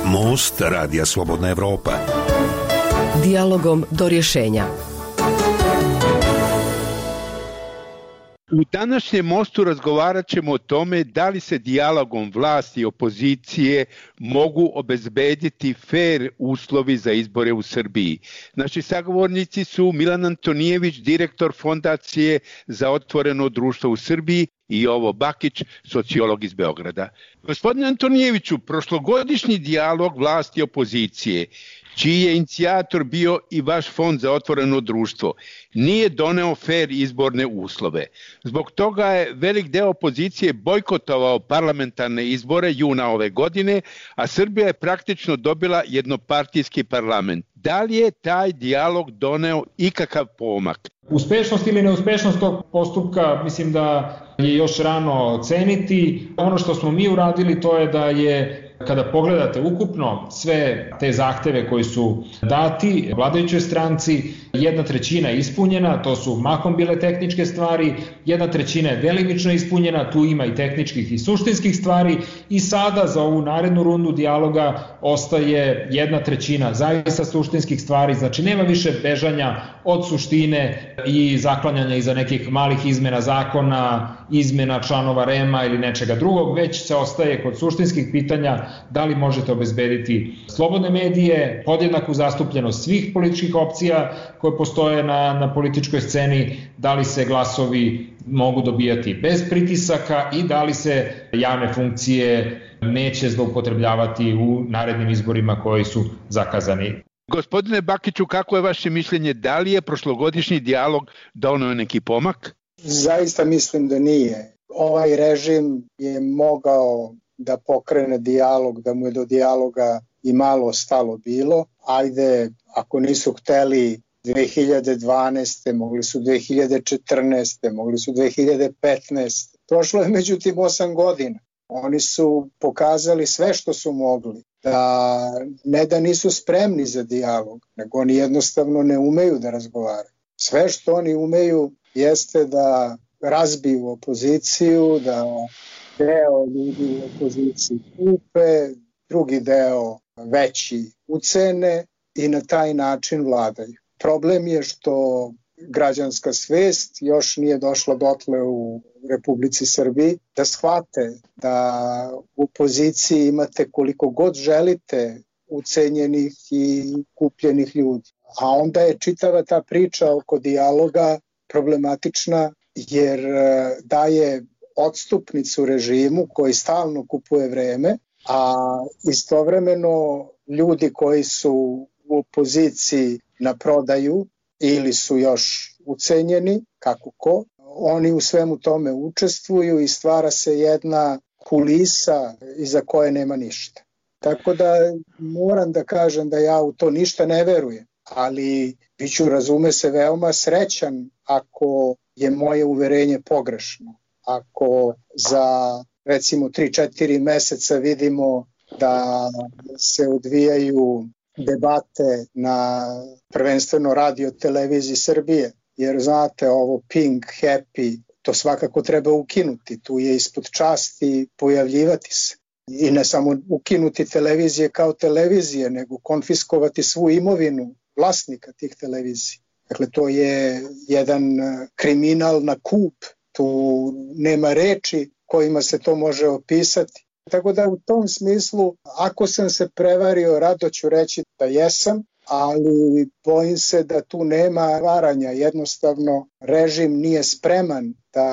Most Radija Slobodna Evropa. Dijalogom do rješenja. U današnjem Mostu razgovarat ćemo o tome da li se dijalogom vlasti i opozicije mogu obezbediti fer uslovi za izbore u Srbiji. Naši sagovornici su Milan Antonijević, direktor Fondacije za otvoreno društvo u Srbiji, i Jovo Bakić, sociolog iz Beograda. Gospodine Antonijeviću, prošlogodišnji dijalog vlasti i opozicije, čiji je inicijator bio i vaš Fond za otvoreno društvo, nije doneo fer izborne uslove. Zbog toga je velik deo opozicije bojkotovao parlamentarne izbore juna ove godine, a Srbija je praktično dobila jednopartijski parlament. Da li je taj dijalog doneo ikakav pomak? Uspešnost ili neuspešnost tog postupka mislim da je još rano oceniti. Ono što smo mi uradili to je da je, kada pogledate ukupno sve te zahteve koji su dati vladajućoj stranci, jedna trećina je ispunjena, to su mahom bile tehničke stvari, jedna trećina je delimično ispunjena, tu ima i tehničkih i suštinskih stvari, i sada za ovu narednu rundu dijaloga ostaje jedna trećina zaista suštinskih stvari, znači nema više bežanja od suštine i zaklanjanja iza nekih malih izmena zakona, izmena članova REM-a ili nečega drugog, već se ostaje kod suštinskih pitanja da li možete obezbediti slobodne medije, podjednaku zastupljenost svih političkih opcija koje postoje na, na političkoj sceni, da li se glasovi mogu dobijati bez pritisaka i da li se javne funkcije neće zloupotrebljavati u narednim izborima koji su zakazani. Gospodine Bakiću, kako je vaše mišljenje, da li je prošlogodišnji dijalog doneo neki pomak? Zaista mislim da nije. Ovaj režim je mogao da pokrene dijalog, da mu je do dijaloga i malo stalo bilo. Ajde, ako nisu hteli dve hiljade dvanaeste, mogli su dve hiljade četrnaeste, mogli su dve hiljade petnaeste. Prošlo je međutim osam godina. Oni su pokazali sve što su mogli. Da ne da nisu spremni za dijalog, nego oni jednostavno ne umeju da razgovaraju. Sve što oni umeju jeste da razbiju opoziciju, da deo ljudi u opoziciji kupe, drugi deo veći ucene i na taj način vladaju. Problem je što građanska svest još nije došla dotle u Republici Srbiji, da shvate da u opoziciji imate koliko god želite ucenjenih i kupljenih ljudi. A onda je čitava ta priča oko dijaloga problematična jer daje odstupnicu režimu koji stalno kupuje vreme, a istovremeno ljudi koji su u opoziciji na prodaju ili su još ucenjeni, kako ko, oni u svemu tome učestvuju i stvara se jedna kulisa iza koje nema ništa. Tako da moram da kažem da ja u to ništa ne verujem, ali biću, razume se, veoma srećan ako je moje uverenje pogrešno. Ako za recimo tri četiri meseca vidimo da se odvijaju debate na prvenstveno radio televiziji Srbije, jer znate ovo Pink, Happy, to svakako treba ukinuti, tu je ispod časti pojavljivati se. I ne samo ukinuti televizije kao televizije, nego konfiskovati svu imovinu vlasnika tih televizija. Dakle, to je jedan kriminal na kup, tu nema reči kojima se to može opisati. Tako da u tom smislu, ako sam se prevario, rado ću reći da jesam, ali bojim se da tu nema varanja. Jednostavno, režim nije spreman da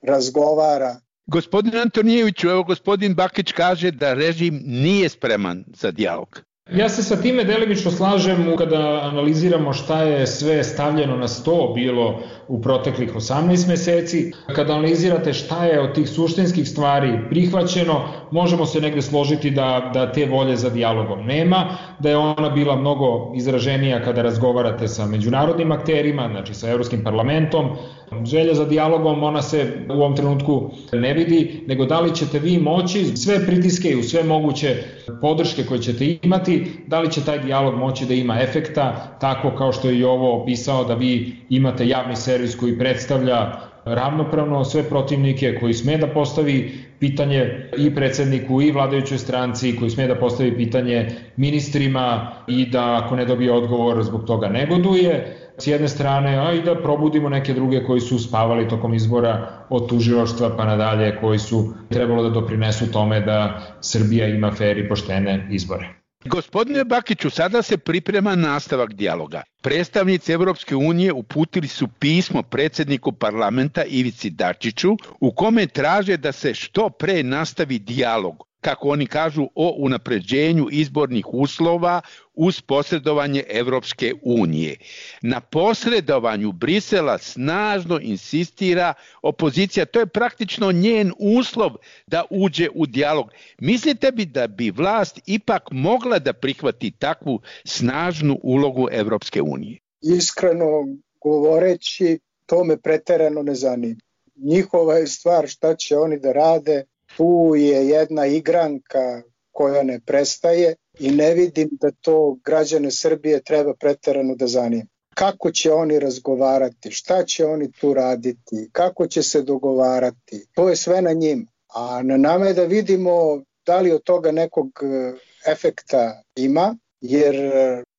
razgovara. Gospodin Antonijeviću, evo gospodin Bakić kaže da režim nije spreman za dijalog. Ja se sa time delimično slažem kada analiziramo šta je sve stavljeno na sto bilo u proteklih osamnaest meseci. Kada analizirate šta je od tih suštinskih stvari prihvaćeno, možemo se negde složiti da, da te volje za dijalogom nema, da je ona bila mnogo izraženija kada razgovarate sa međunarodnim akterima, znači sa Evropskim parlamentom. Želja za dijalogom, ona se u ovom trenutku ne vidi, nego da li ćete vi moći sve pritiske i sve moguće podrške koje ćete imati, da li će taj dijalog moći da ima efekta, tako kao što je i ovo opisao, da vi imate javni servis koji predstavlja ravnopravno sve protivnike, koji sme da postavi pitanje i predsedniku i vladajućoj stranci, koji sme da postavi pitanje ministrima i da ako ne dobije odgovor zbog toga negoduje s jedne strane, a i da probudimo neke druge koji su spavali tokom izbora od tužilaštva pa nadalje, koji su trebalo da doprinesu tome da Srbija ima fer i poštene izbore. Gospodine Bakiću, sada se priprema nastavak dijaloga. Predstavnici Evropske unije uputili su pismo predsjedniku parlamenta Ivici Dačiću u kome traže da se što pre nastavi dijalog, kako oni kažu, o unapređenju izbornih uslova uz posredovanje Evropske unije. Na posredovanju Brisela snažno insistira opozicija, to je praktično njen uslov da uđe u dijalog. Mislite bi da bi vlast ipak mogla da prihvati takvu snažnu ulogu Evropske unije? Iskreno govoreći, to me preterano ne zanima. Njihova je stvar šta će oni da rade. Tu je jedna igranka koja ne prestaje i ne vidim da to građane Srbije treba preterano da zanima. Kako će oni razgovarati, šta će oni tu raditi, kako će se dogovarati, to je sve na njima. A na nama je da vidimo da li od toga nekog efekta ima, jer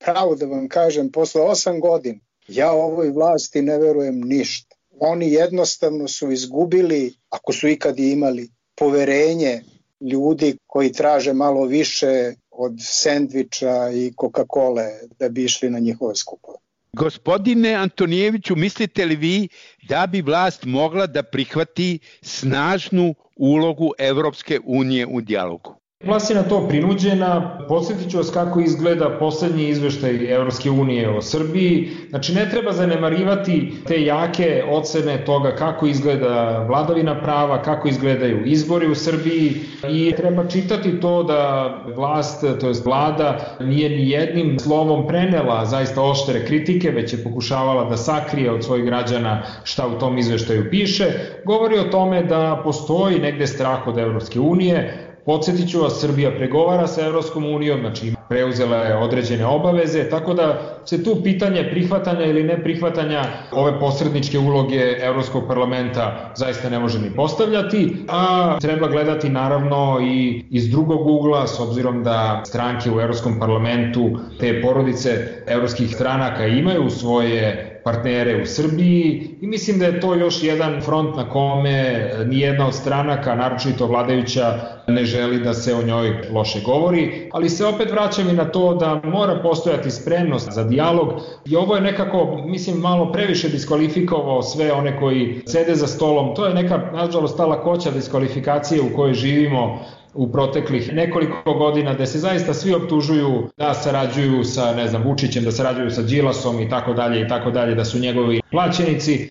pravo da vam kažem, posle osam godina ja ovoj vlasti ne verujem ništa. Oni jednostavno su izgubili, ako su ikad imali, poverenje ljudi koji traže malo više od sendviča i Coca-Cole da bi išli na njihove skupove. Gospodine Antonijeviću, mislite li vi da bi vlast mogla da prihvati snažnu ulogu Evropske unije u dijalogu? Vlast je na to prinuđena. Podsjetit ću vas kako izgleda poslednji izveštaj Evropske unije o Srbiji. Znači, ne treba zanemarivati te jake ocene toga kako izgleda vladavina prava, kako izgledaju izbori u Srbiji i treba čitati to da vlast, to jest vlada, nije ni jednim slovom prenela zaista oštre kritike, već je pokušavala da sakrije od svojih građana šta u tom izveštaju piše. Govori o tome da postoji negde strah od Evropske unije. Podsjetit ću vas, Srbija pregovara sa Evropskom unijom, znači preuzela je određene obaveze, tako da se tu pitanje prihvatanja ili neprihvatanja ove posredničke uloge Evropskog parlamenta zaista ne može ni postavljati, a treba gledati naravno i iz drugog ugla, s obzirom da stranke u Evropskom parlamentu, te porodice evropskih stranaka imaju svoje partnere u Srbiji i mislim da je to još jedan front na kome nijedna od stranaka, naročito vladajuća, ne želi da se o njoj loše govori, ali se opet vraćam i na to da mora postojati spremnost za dijalog i ovo je nekako, mislim, malo previše diskvalifikovao sve one koji sede za stolom. To je neka, nažalost, ta lakoća diskvalifikacije u kojoj živimo u proteklih nekoliko godina, da se zaista svi optužuju da sarađuju sa, ne znam, Vučićem, da sarađuju sa Đilasom i tako dalje i tako dalje, da su njegovi plaćenici.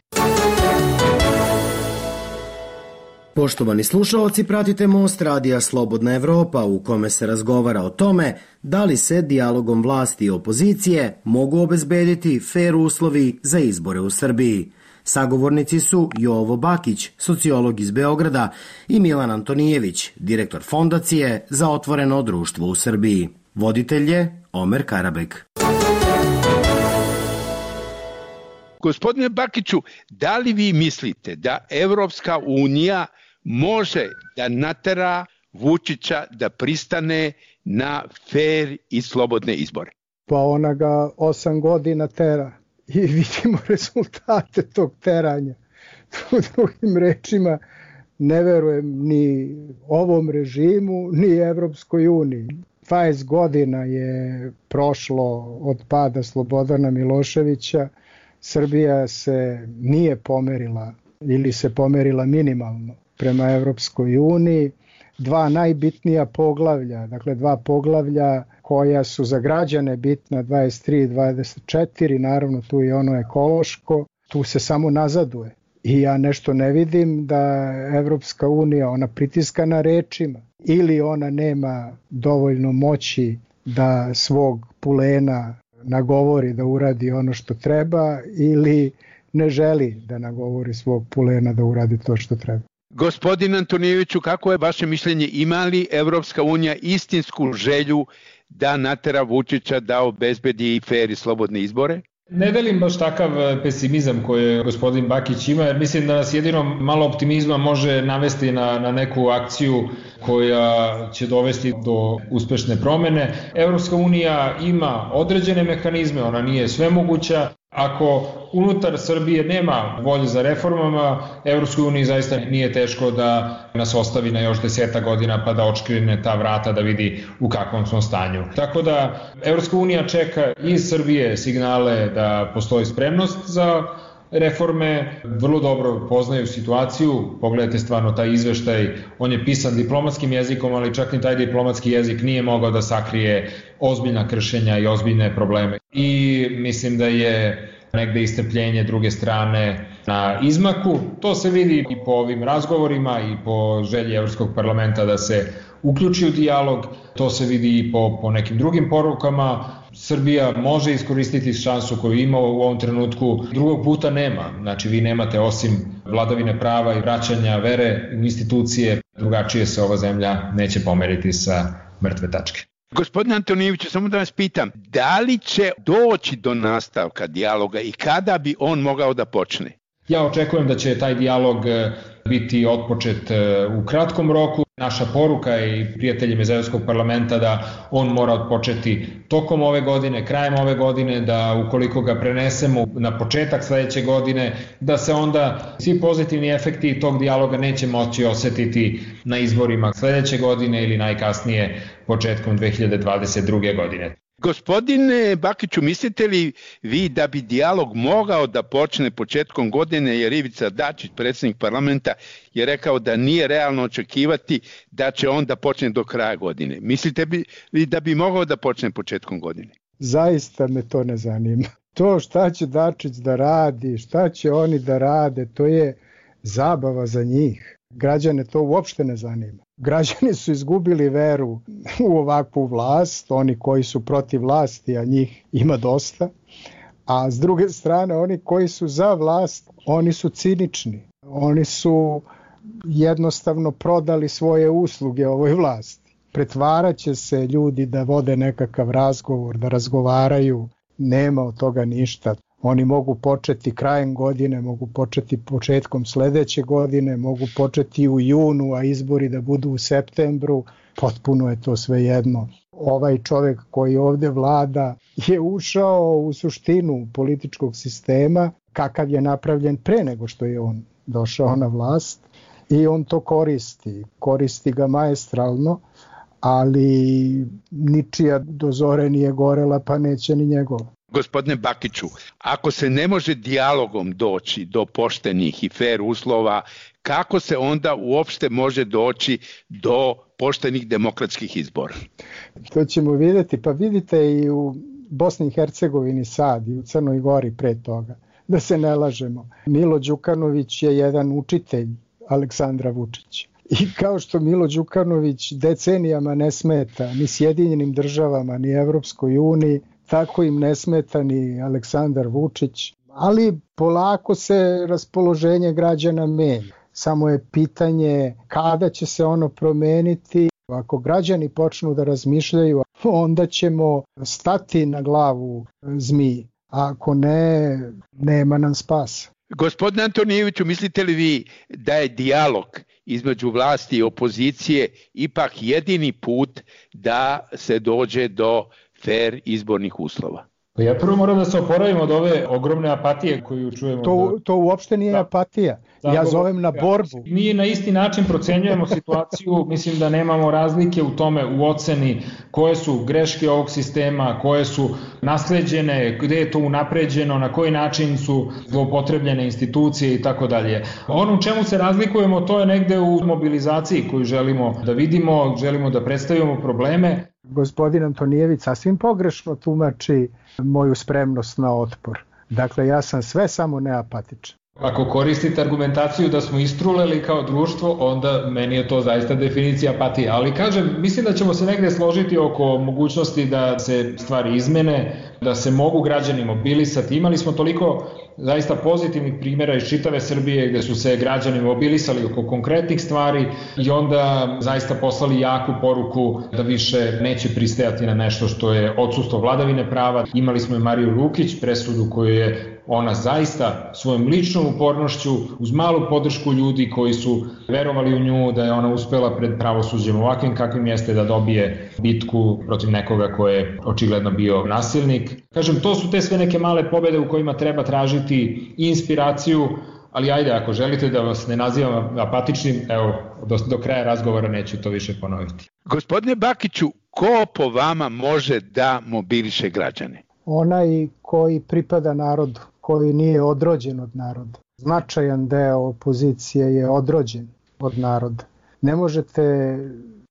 Poštovani slušalci, pratite Most radija Slobodna Evropa u kome se razgovara o tome da li se dijalogom vlasti i opozicije mogu obezbediti fer uslovi za izbore u Srbiji. Sagovornici su Jovo Bakić, sociolog iz Beograda, i Milan Antonijević, direktor Fondacije za otvoreno društvo u Srbiji. Voditelj je Omer Karabek. Gospodine Bakiću, da li vi mislite da Evropska unija može da natera Vučića da pristane na fer i slobodne izbore? Pa ona ga osam godina tera i vidimo rezultate tog teranja. U drugim rečima, ne verujem ni ovom režimu, ni Evropskoj uniji. dvadeset godina je prošlo od pada Slobodana Miloševića. Srbija se nije pomerila ili se pomerila minimalno prema Evropskoj uniji. Dva najbitnija poglavlja, dakle dva poglavlja koja su za građane bitna, dvadeset tri i dvadeset četiri, naravno tu je ono ekološko, tu se samo nazaduje. I ja nešto ne vidim da Evropska unija, ona pritiska na rečima ili ona nema dovoljno moći da svog pulena nagovori da uradi ono što treba ili ne želi da nagovori svog pulena da uradi to što treba. Gospodin Antonijeviću, kako je vaše mišljenje, ima li Evropska unija istinsku želju da natera Vučića da obezbedi i fer i slobodne izbore? Ne delim baš takav pesimizam koji gospodin Bakić ima, jer mislim da nas jedino malo optimizma može navesti na, na neku akciju koja će dovesti do uspešne promene. Evropska unija ima određene mehanizme, ona nije svemoguća. Ako unutar Srbije nema volje za reformama, Evropskoj uniji zaista nije teško da nas ostavi na još deseta godina pa da očkrine ta vrata da vidi u kakvom smo stanju. Tako da Evropska unija čeka iz Srbije signale da postoji spremnost za reforme, vrlo dobro poznaju situaciju, pogledajte stvarno taj izveštaj, on je pisan diplomatskim jezikom, ali čak ni taj diplomatski jezik nije mogao da sakrije ozbiljna kršenja i ozbiljne probleme. I mislim da je negde istrpljenje druge strane na izmaku. To se vidi i po ovim razgovorima i po želji Evropskog parlamenta da se uključi u dijalog, to se vidi i po, po nekim drugim porukama. Srbija može iskoristiti šansu koju ima u ovom trenutku, drugog puta nema. Znači vi nemate osim vladavine prava i vraćanja vere u institucije, drugačije se ova zemlja neće pomeriti sa mrtve tačke. Gospodine Antonijeviću, samo da vas pitam, da li će doći do nastavka dijaloga i kada bi on mogao da počne? Ja očekujem da će taj dijalog biti otpočet u kratkom roku. Naša poruka je i prijateljima iz Evropskog parlamenta da on mora otpočeti tokom ove godine, krajem ove godine, da ukoliko ga prenesemo na početak sledeće godine, da se onda svi pozitivni efekti tog dijaloga neće moći osetiti na izborima sledeće godine ili najkasnije početkom dve hiljade dvadeset druge. godine. Gospodine Bakiću, mislite li vi da bi dijalog mogao da počne početkom godine, jer Ivica Dačić, predsjednik parlamenta, je rekao da nije realno očekivati da će on da počne do kraja godine. Mislite li da bi mogao da počne početkom godine? Zaista me to ne zanima. To šta će Dačić da radi, šta će oni da rade, to je zabava za njih. Građane to uopšte ne zanima. Građani su izgubili veru u ovakvu vlast, oni koji su protiv vlasti, a njih ima dosta, a s druge strane oni koji su za vlast, oni su cinični. Oni su jednostavno prodali svoje usluge ovoj vlasti. Pretvaraće se ljudi da vode nekakav razgovor, da razgovaraju, nema od toga ništa. Oni mogu početi krajem godine, mogu početi početkom sledeće godine, mogu početi u junu, a izbori da budu u septembru. potpuno je to svejedno. Ovaj čovjek koji ovdje vlada je ušao u suštinu političkog sistema kakav je napravljen pre nego što je on došao na vlast i on to koristi. Koristi ga maestralno, ali ničija do zore nije gorela, pa neće ni njegova. Gospodine Bakiću, ako se ne može dijalogom doći do poštenih i fer uslova, kako se onda uopšte može doći do poštenih demokratskih izbora? To ćemo vidjeti, pa vidite i u Bosni i Hercegovini sad i u Crnoj Gori pre toga. Da se ne lažemo, Milo Đukanović je jedan učitelj Aleksandra Vučića. I kao što Milo Đukanović decenijama ne smeta ni Sjedinjenim državama, ni Evropskoj uniji, tako im ne smeta ni Aleksandar Vučić. Ali polako se raspoloženje građana menja. Samo je pitanje kada će se ono promeniti. Ako građani počnu da razmišljaju, onda ćemo stati na glavu zmiji. A ako ne, nema nam spasa. Gospodine Antonijeviću, mislite li vi da je dijalog između vlasti i opozicije ipak jedini put da se dođe do fer izbornih uslova? Ja prvo moram da se oporavim od ove ogromne apatije koju čujemo. To, to uopšte nije da. apatija. Ja zovem na borbu. Mi na isti način procenjujemo situaciju, mislim da nemamo razlike u tome u oceni koje su greške ovog sistema, koje su nasleđene, gde je to unapređeno, na koji način su zloupotrebljene institucije i tako dalje. Ono u čemu se razlikujemo, to je negde u mobilizaciji koju želimo da vidimo, želimo da predstavimo probleme. Gospodin Antonijević sasvim pogrešno tumači moju spremnost na otpor. Dakle, ja sam sve samo neapatičan. Ako koristite argumentaciju da smo istruleli kao društvo, onda meni je to zaista definicija apatije. Ali kažem, mislim da ćemo se negde složiti oko mogućnosti da se stvari izmene, da se mogu građani mobilisati. Imali smo toliko zaista pozitivnih primjera iz čitave Srbije gde su se građani mobilisali oko konkretnih stvari i onda zaista poslali jaku poruku da više neće pristajati na nešto što je odsustvo vladavine prava. Imali smo i Mariju Lukić, presudu koju je ona zaista svojom ličnom upornošću, uz malu podršku ljudi koji su verovali u nju, da je ona uspela pred pravosuđem ovakvim kakvim jeste da dobije bitku protiv nekoga ko je očigledno bio nasilnik. Kažem, to su te sve neke male pobede u kojima treba tražiti inspiraciju, ali ajde, ako želite da vas ne nazivam apatičnim, evo, do, do kraja razgovora neću to više ponoviti. Gospodine Bakiću, ko po vama može da mobiliše građane? Onaj koji pripada narodu, koji nije odrođen od naroda. Značajan deo opozicije je odrođen od naroda. Ne možete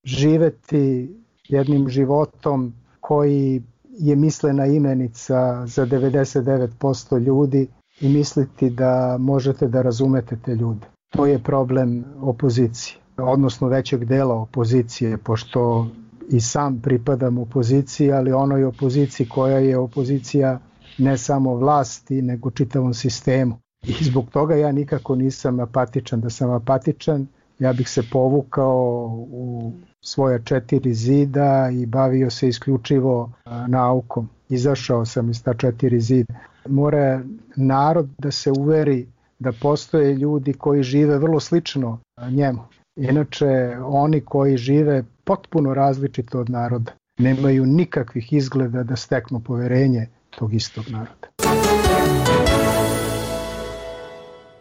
živeti jednim životom koji je mislena imenica za devedeset devet posto ljudi i misliti da možete da razumete te ljude. To je problem opozicije, odnosno većeg dela opozicije, pošto i sam pripadam opoziciji, ali onoj opoziciji koja je opozicija ne samo vlasti, nego čitavom sistemu. I zbog toga ja nikako nisam apatičan. Da sam apatičan, ja bih se povukao u svoja četiri zida i bavio se isključivo naukom. Izašao sam iz ta četiri zida. Mora narod da se uveri da postoje ljudi koji žive vrlo slično njemu. Inače, oni koji žive potpuno različito od naroda nemaju nikakvih izgleda da steknu poverenje tog istog naroda.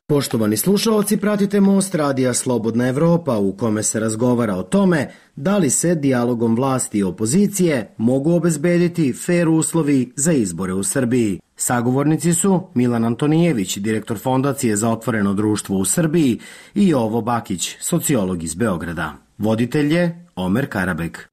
Poštovani slušaoci, pratite Most radija Slobodna Evropa u kome se razgovara o tome da li se dijalogom vlasti i opozicije mogu obezbediti fer uslovi za izbore u Srbiji. Sagovornici su Milan Antonijević, direktor Fondacije za otvoreno društvo u Srbiji, i Jovo Bakić, sociolog iz Beograda. Voditelj je Omer Karabek.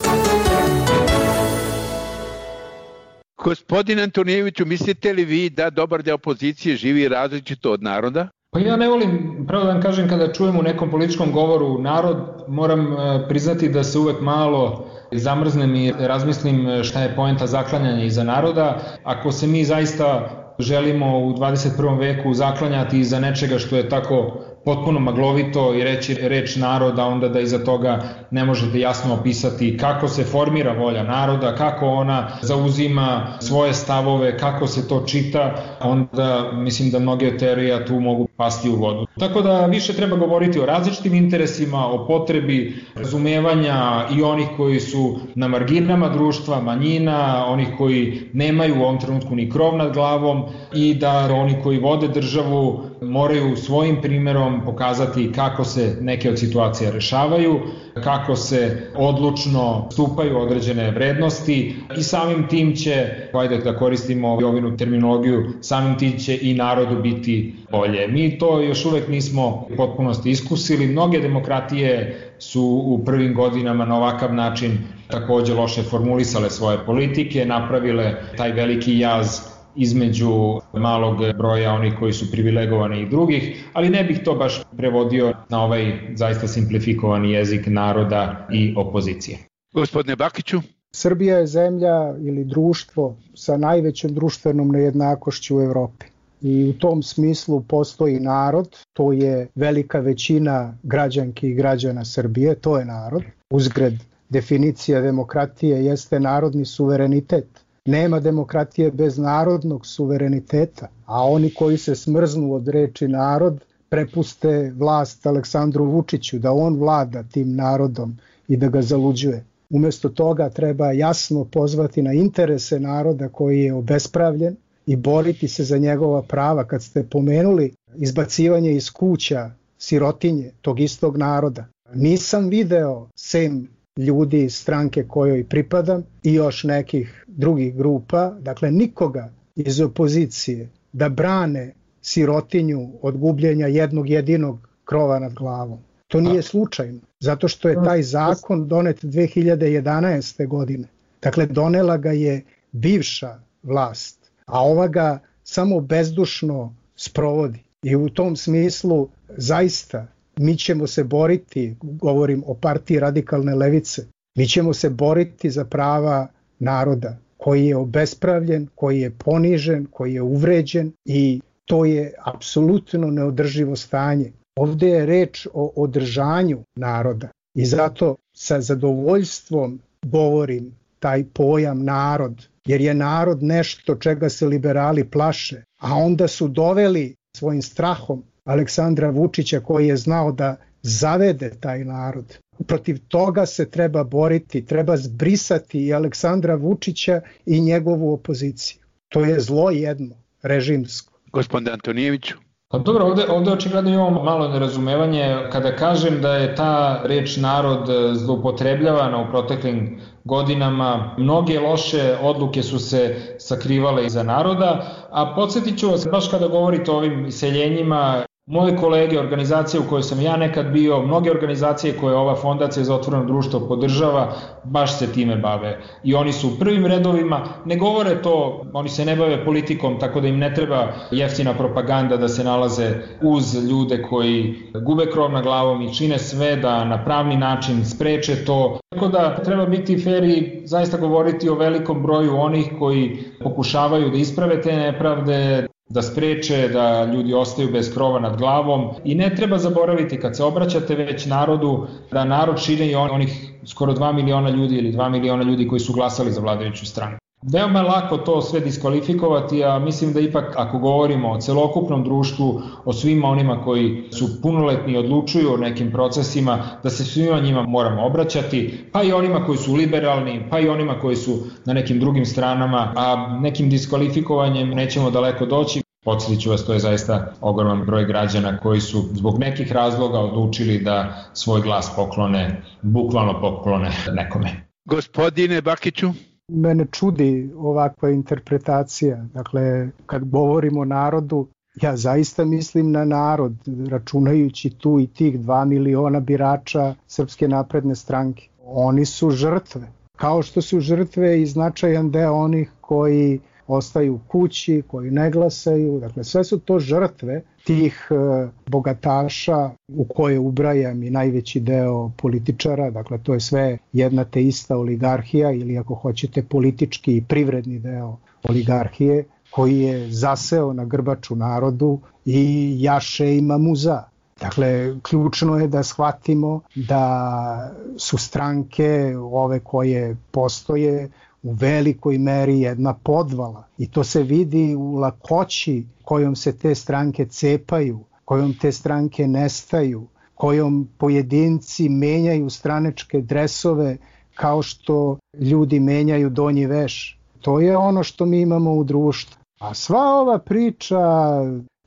Gospodin Antonijeviću, mislite li vi da dobar deo opozicije živi različito od naroda? Pa ja ne volim, pravo da vam kažem, kada čujem u nekom političkom govoru narod, moram priznati da se uvek malo zamrznem i razmislim šta je poenta zaklanjanja iza naroda. Ako se mi zaista želimo u dvadeset prvom veku zaklanjati iza nečega što je tako potpuno maglovito i reći reč naroda, onda da iza toga ne možete jasno opisati kako se formira volja naroda, kako ona zauzima svoje stavove, kako se to čita, onda mislim da mnoge teorije tu mogu pasti u vodu. Tako da više treba govoriti o različitim interesima, o potrebi razumevanja i onih koji su na marginama društva, manjina, onih koji nemaju u ovom trenutku ni krov nad glavom i da oni koji vode državu moraju svojim primjerom pokazati kako se neke od situacija rešavaju, kako se odlučno stupaju određene vrednosti i samim tim će, ajde da koristimo ovinu terminologiju, samim tim će i narodu biti bolje. Mi to još uvek nismo u potpunosti iskusili. Mnoge demokratije su u prvim godinama na ovakav način takođe loše formulisale svoje politike, napravile taj veliki jaz između malog broja onih koji su privilegovani i drugih, ali ne bih to baš prevodio na ovaj zaista simplifikovani jezik naroda i opozicije. Gospodine Bakiću. Srbija je zemlja ili društvo sa najvećom društvenom nejednakošću u Evropi. I u tom smislu postoji narod, to je velika većina građanki i građana Srbije, to je narod. Uzgred, definicija demokratije jeste narodni suverenitet. Nema demokratije bez narodnog suvereniteta, a oni koji se smrznu od reči narod prepuste vlast Aleksandru Vučiću, da on vlada tim narodom i da ga zaluđuje. Umesto toga treba jasno pozvati na interese naroda koji je obespravljen i boriti se za njegova prava. Kad ste pomenuli izbacivanje iz kuća sirotinje tog istog naroda, nisam video sem ljudi iz stranke kojoj pripadam i još nekih drugih grupa, dakle nikoga iz opozicije da brane sirotinju od gubljenja jednog jedinog krova nad glavom. To nije slučajno, zato što je taj zakon donet dve hiljade jedanaeste. godine. Dakle, donela ga je bivša vlast, a ova ga samo bezdušno sprovodi. I u tom smislu zaista mi ćemo se boriti, govorim o partiji radikalne levice, mi ćemo se boriti za prava naroda koji je obespravljen, koji je ponižen, koji je uvređen i to je apsolutno neodrživo stanje. Ovdje je reč o održanju naroda i zato sa zadovoljstvom govorim taj pojam narod, jer je narod nešto čega se liberali plaše, a onda su doveli svojim strahom Aleksandra Vučića koji je znao da zavede taj narod. Protiv toga se treba boriti, treba zbrisati i Aleksandra Vučića i njegovu opoziciju. To je zlo jedno, režimsko. Gospodin Antonijeviću. Pa dobro, ovde, ovde očigledno imamo malo nerazumevanje kada kažem da je ta reč narod zloupotrebljavana u proteklim godinama. Mnoge loše odluke su se sakrivale iza naroda, a podsjetit ću vas, baš kada govorite o ovim iseljenjima, moje kolege, organizacije u kojoj sam ja nekad bio, mnoge organizacije koje ova Fondacija za otvoreno društvo podržava, baš se time bave. I oni su u prvim redovima, ne govore to, oni se ne bave politikom, tako da im ne treba jeftina propaganda da se nalaze uz ljude koji gube krov nad glavom i čine sve da na pravni način spreče to. Tako da treba biti fer i zaista govoriti o velikom broju onih koji pokušavaju da isprave te nepravde, da spreče da ljudi ostaju bez krova nad glavom i ne treba zaboraviti kad se obraćate već narodu da narod čine i onih skoro dva miliona ljudi ili dva miliona ljudi koji su glasali za vladajuću stranu. Veoma je lako to sve diskvalifikovati, a mislim da ipak ako govorimo o celokupnom društvu, o svima onima koji su punoletni i odlučuju o nekim procesima, da se svima njima moramo obraćati, pa i onima koji su liberalni, pa i onima koji su na nekim drugim stranama, a nekim diskvalifikovanjem nećemo daleko doći. Podsjetit ću vas, to je zaista ogroman broj građana koji su zbog nekih razloga odlučili da svoj glas poklone, bukvalno poklone nekome. Gospodine Bakiću. Mene čudi ovakva interpretacija. Dakle, kad govorimo o narodu, ja zaista mislim na narod, računajući tu i tih dva miliona birača Srpske napredne stranke. Oni su žrtve. Kao što su žrtve i značajan deo onih koji ostaju kući, koji ne glasaju. Dakle, sve su to žrtve tih e, bogataša u koje ubrajam i najveći deo političara. Dakle, to je sve jedna te ista oligarhija ili ako hoćete politički i privredni deo oligarhije koji je zaseo na grbaču narodu i jaše i mamuza. Dakle, ključno je da shvatimo da su stranke ove koje postoje u velikoj meri jedna podvala i to se vidi u lakoći kojom se te stranke cepaju kojom te stranke nestaju, kojom pojedinci menjaju stranačke dresove kao što ljudi menjaju donji veš. To je ono što mi imamo u društvu. A sva ova priča,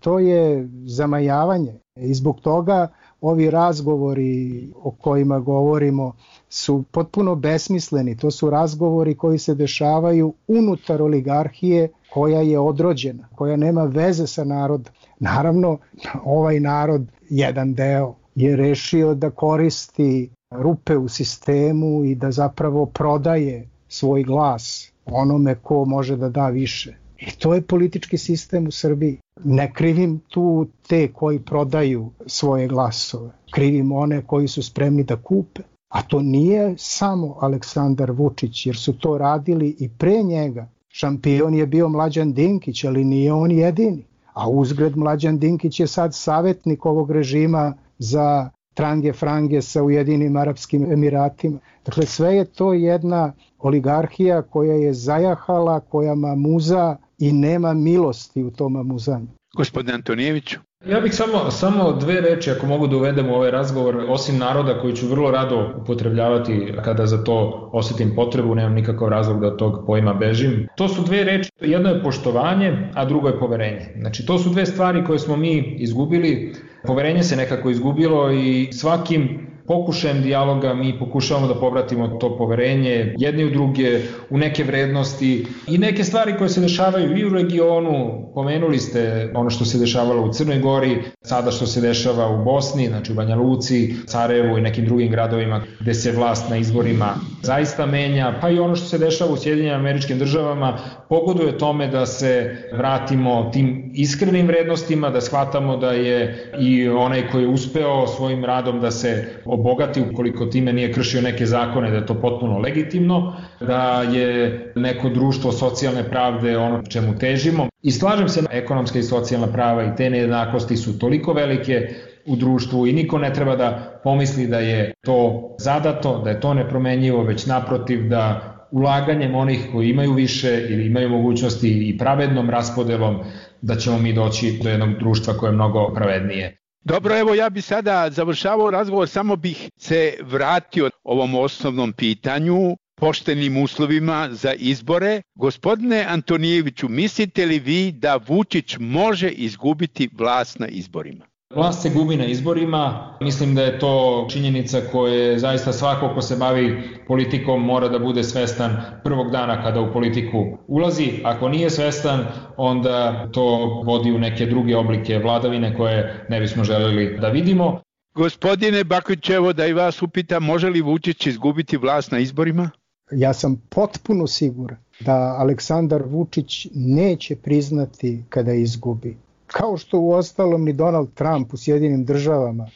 to je zamajavanje. I zbog toga ovi razgovori o kojima govorimo su potpuno besmisleni. To su razgovori koji se dešavaju unutar oligarhije koja je odrođena, koja nema veze sa narodom. Naravno, ovaj narod, jedan deo, je rešio da koristi rupe u sistemu i da zapravo prodaje svoj glas onome ko može da da više. I to je politički sistem u Srbiji. Ne krivim tu te koji prodaju svoje glasove. Krivim one koji su spremni da kupe. A to nije samo Aleksandar Vučić, jer su to radili i pre njega. Šampion je bio Mlađan Dinkić, ali nije on jedini. A uzgred Mlađan Dinkić je sad savjetnik ovog režima za trange frange sa Ujedinim Arapskim Emiratima. Dakle, sve je to jedna oligarhija koja je zajahala, koja mamuza i nema milosti u tom mamuzanju. Gospodine Antonijeviću. Ja bih samo, samo dve reči, ako mogu da uvedem u ovaj razgovor, osim naroda koji ću vrlo rado upotrebljavati kada za to osjetim potrebu, nemam nikakav razlog da od tog pojma bežim. To su dve reči, jedno je poštovanje, a drugo je poverenje. Znači, to su dve stvari koje smo mi izgubili. Poverenje se nekako izgubilo i svakim pokušajem dijaloga mi pokušavamo da povratimo to poverenje jedni u druge, u neke vrednosti i neke stvari koje se dešavaju i u regionu. Pomenuli ste ono što se dešavalo u Crnoj Gori, sada što se dešava u Bosni, znači u Banja Luci, Sarajevu i nekim drugim gradovima gde se vlast na izborima zaista menja, pa i ono što se dešava u Sjedinjenim Američkim Državama pogoduje tome da se vratimo tim iskrenim vrednostima, da shvatamo da je i onaj koji je uspeo svojim radom da se obogati ukoliko time nije kršio neke zakone, da je to potpuno legitimno, da je neko društvo socijalne pravde ono čemu težimo. I slažem se, ekonomska i socijalna prava i te nejednakosti su toliko velike u društvu i niko ne treba da pomisli da je to zadato, da je to nepromenjivo, već naprotiv da ulaganjem onih koji imaju više ili imaju mogućnosti i pravednom raspodelom da ćemo mi doći do jednog društva koje je mnogo pravednije. Dobro, evo ja bi sada završavao razgovor, samo bih se vratio ovom osnovnom pitanju, poštenim uslovima za izbore. Gospodine Antonijeviću, mislite li vi da Vučić može izgubiti vlast na izborima? Vlast se gubi na izborima, mislim da je to činjenica koje zaista svako ko se bavi politikom mora da bude svestan prvog dana kada u politiku ulazi. Ako nije svestan, onda to vodi u neke druge oblike vladavine koje ne bismo želeli da vidimo. Gospodine Bakić, evo da i vas upitam, može li Vučić izgubiti vlast na izborima? Ja sam potpuno siguran da Aleksandar Vučić neće priznati kada izgubi. Kao što u ostalom ni Donald Trump u Sjedinim Državama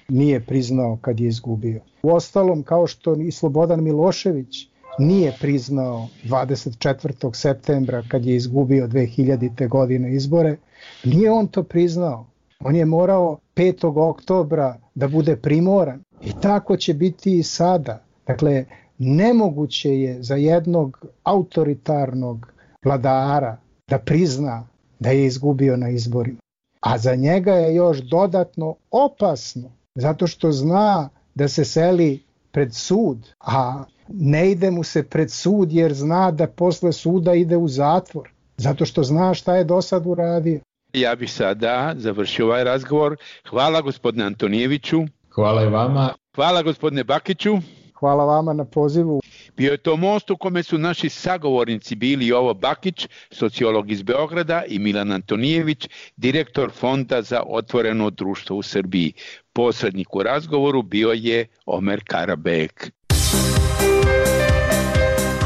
nije priznao kad je izgubio. U ostalom, kao što i Slobodan Milošević nije priznao dvadeset četvrtog septembra kad je izgubio dve hiljadite. godine izbore, nije on to priznao. On je morao petog oktobra da bude primoran. I tako će biti i sada. Dakle, nemoguće je za jednog autoritarnog vladara da prizna da je izgubio na izborima. A za njega je još dodatno opasno, zato što zna da se seli pred sud, a ne ide mu se pred sud jer zna da posle suda ide u zatvor, zato što zna šta je do sad uradio. Ja bih sada završio ovaj razgovor. Hvala gospodine Antonijeviću. Hvala i vama. Hvala gospodine Bakiću. Hvala vama na pozivu. Bio je to most u kome su naši sagovornici bili Jovo Bakić, sociolog iz Beograda, i Milan Antonijević, direktor Fonda za otvoreno društvo u Srbiji. Posrednik u razgovoru bio je Omer Karabek.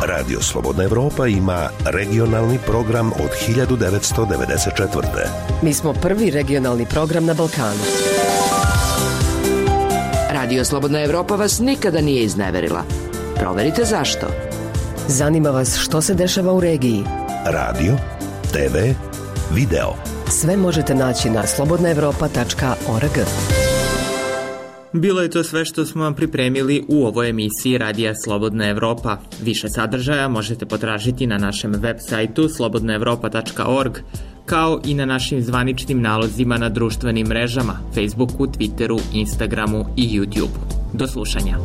Radio Slobodna Evropa ima regionalni program od hiljadu devetsto devedeset četvrte. Mi smo prvi regionalni program na Balkanu. Radio Slobodna Evropa vas nikada nije izneverila. Proverite zašto. Zanima vas što se dešava u regiji. Radio, te ve, video. Sve možete naći na slobodna evropa tačka org. Bilo je to sve što smo vam pripremili u ovoj emisiji Radija Slobodna Evropa. Više sadržaja možete potražiti na našem web sajtu slobodna evropa tačka org. kao i na našim zvaničnim nalozima na društvenim mrežama, Facebooku, Twitteru, Instagramu i YouTubeu. Do slušanja.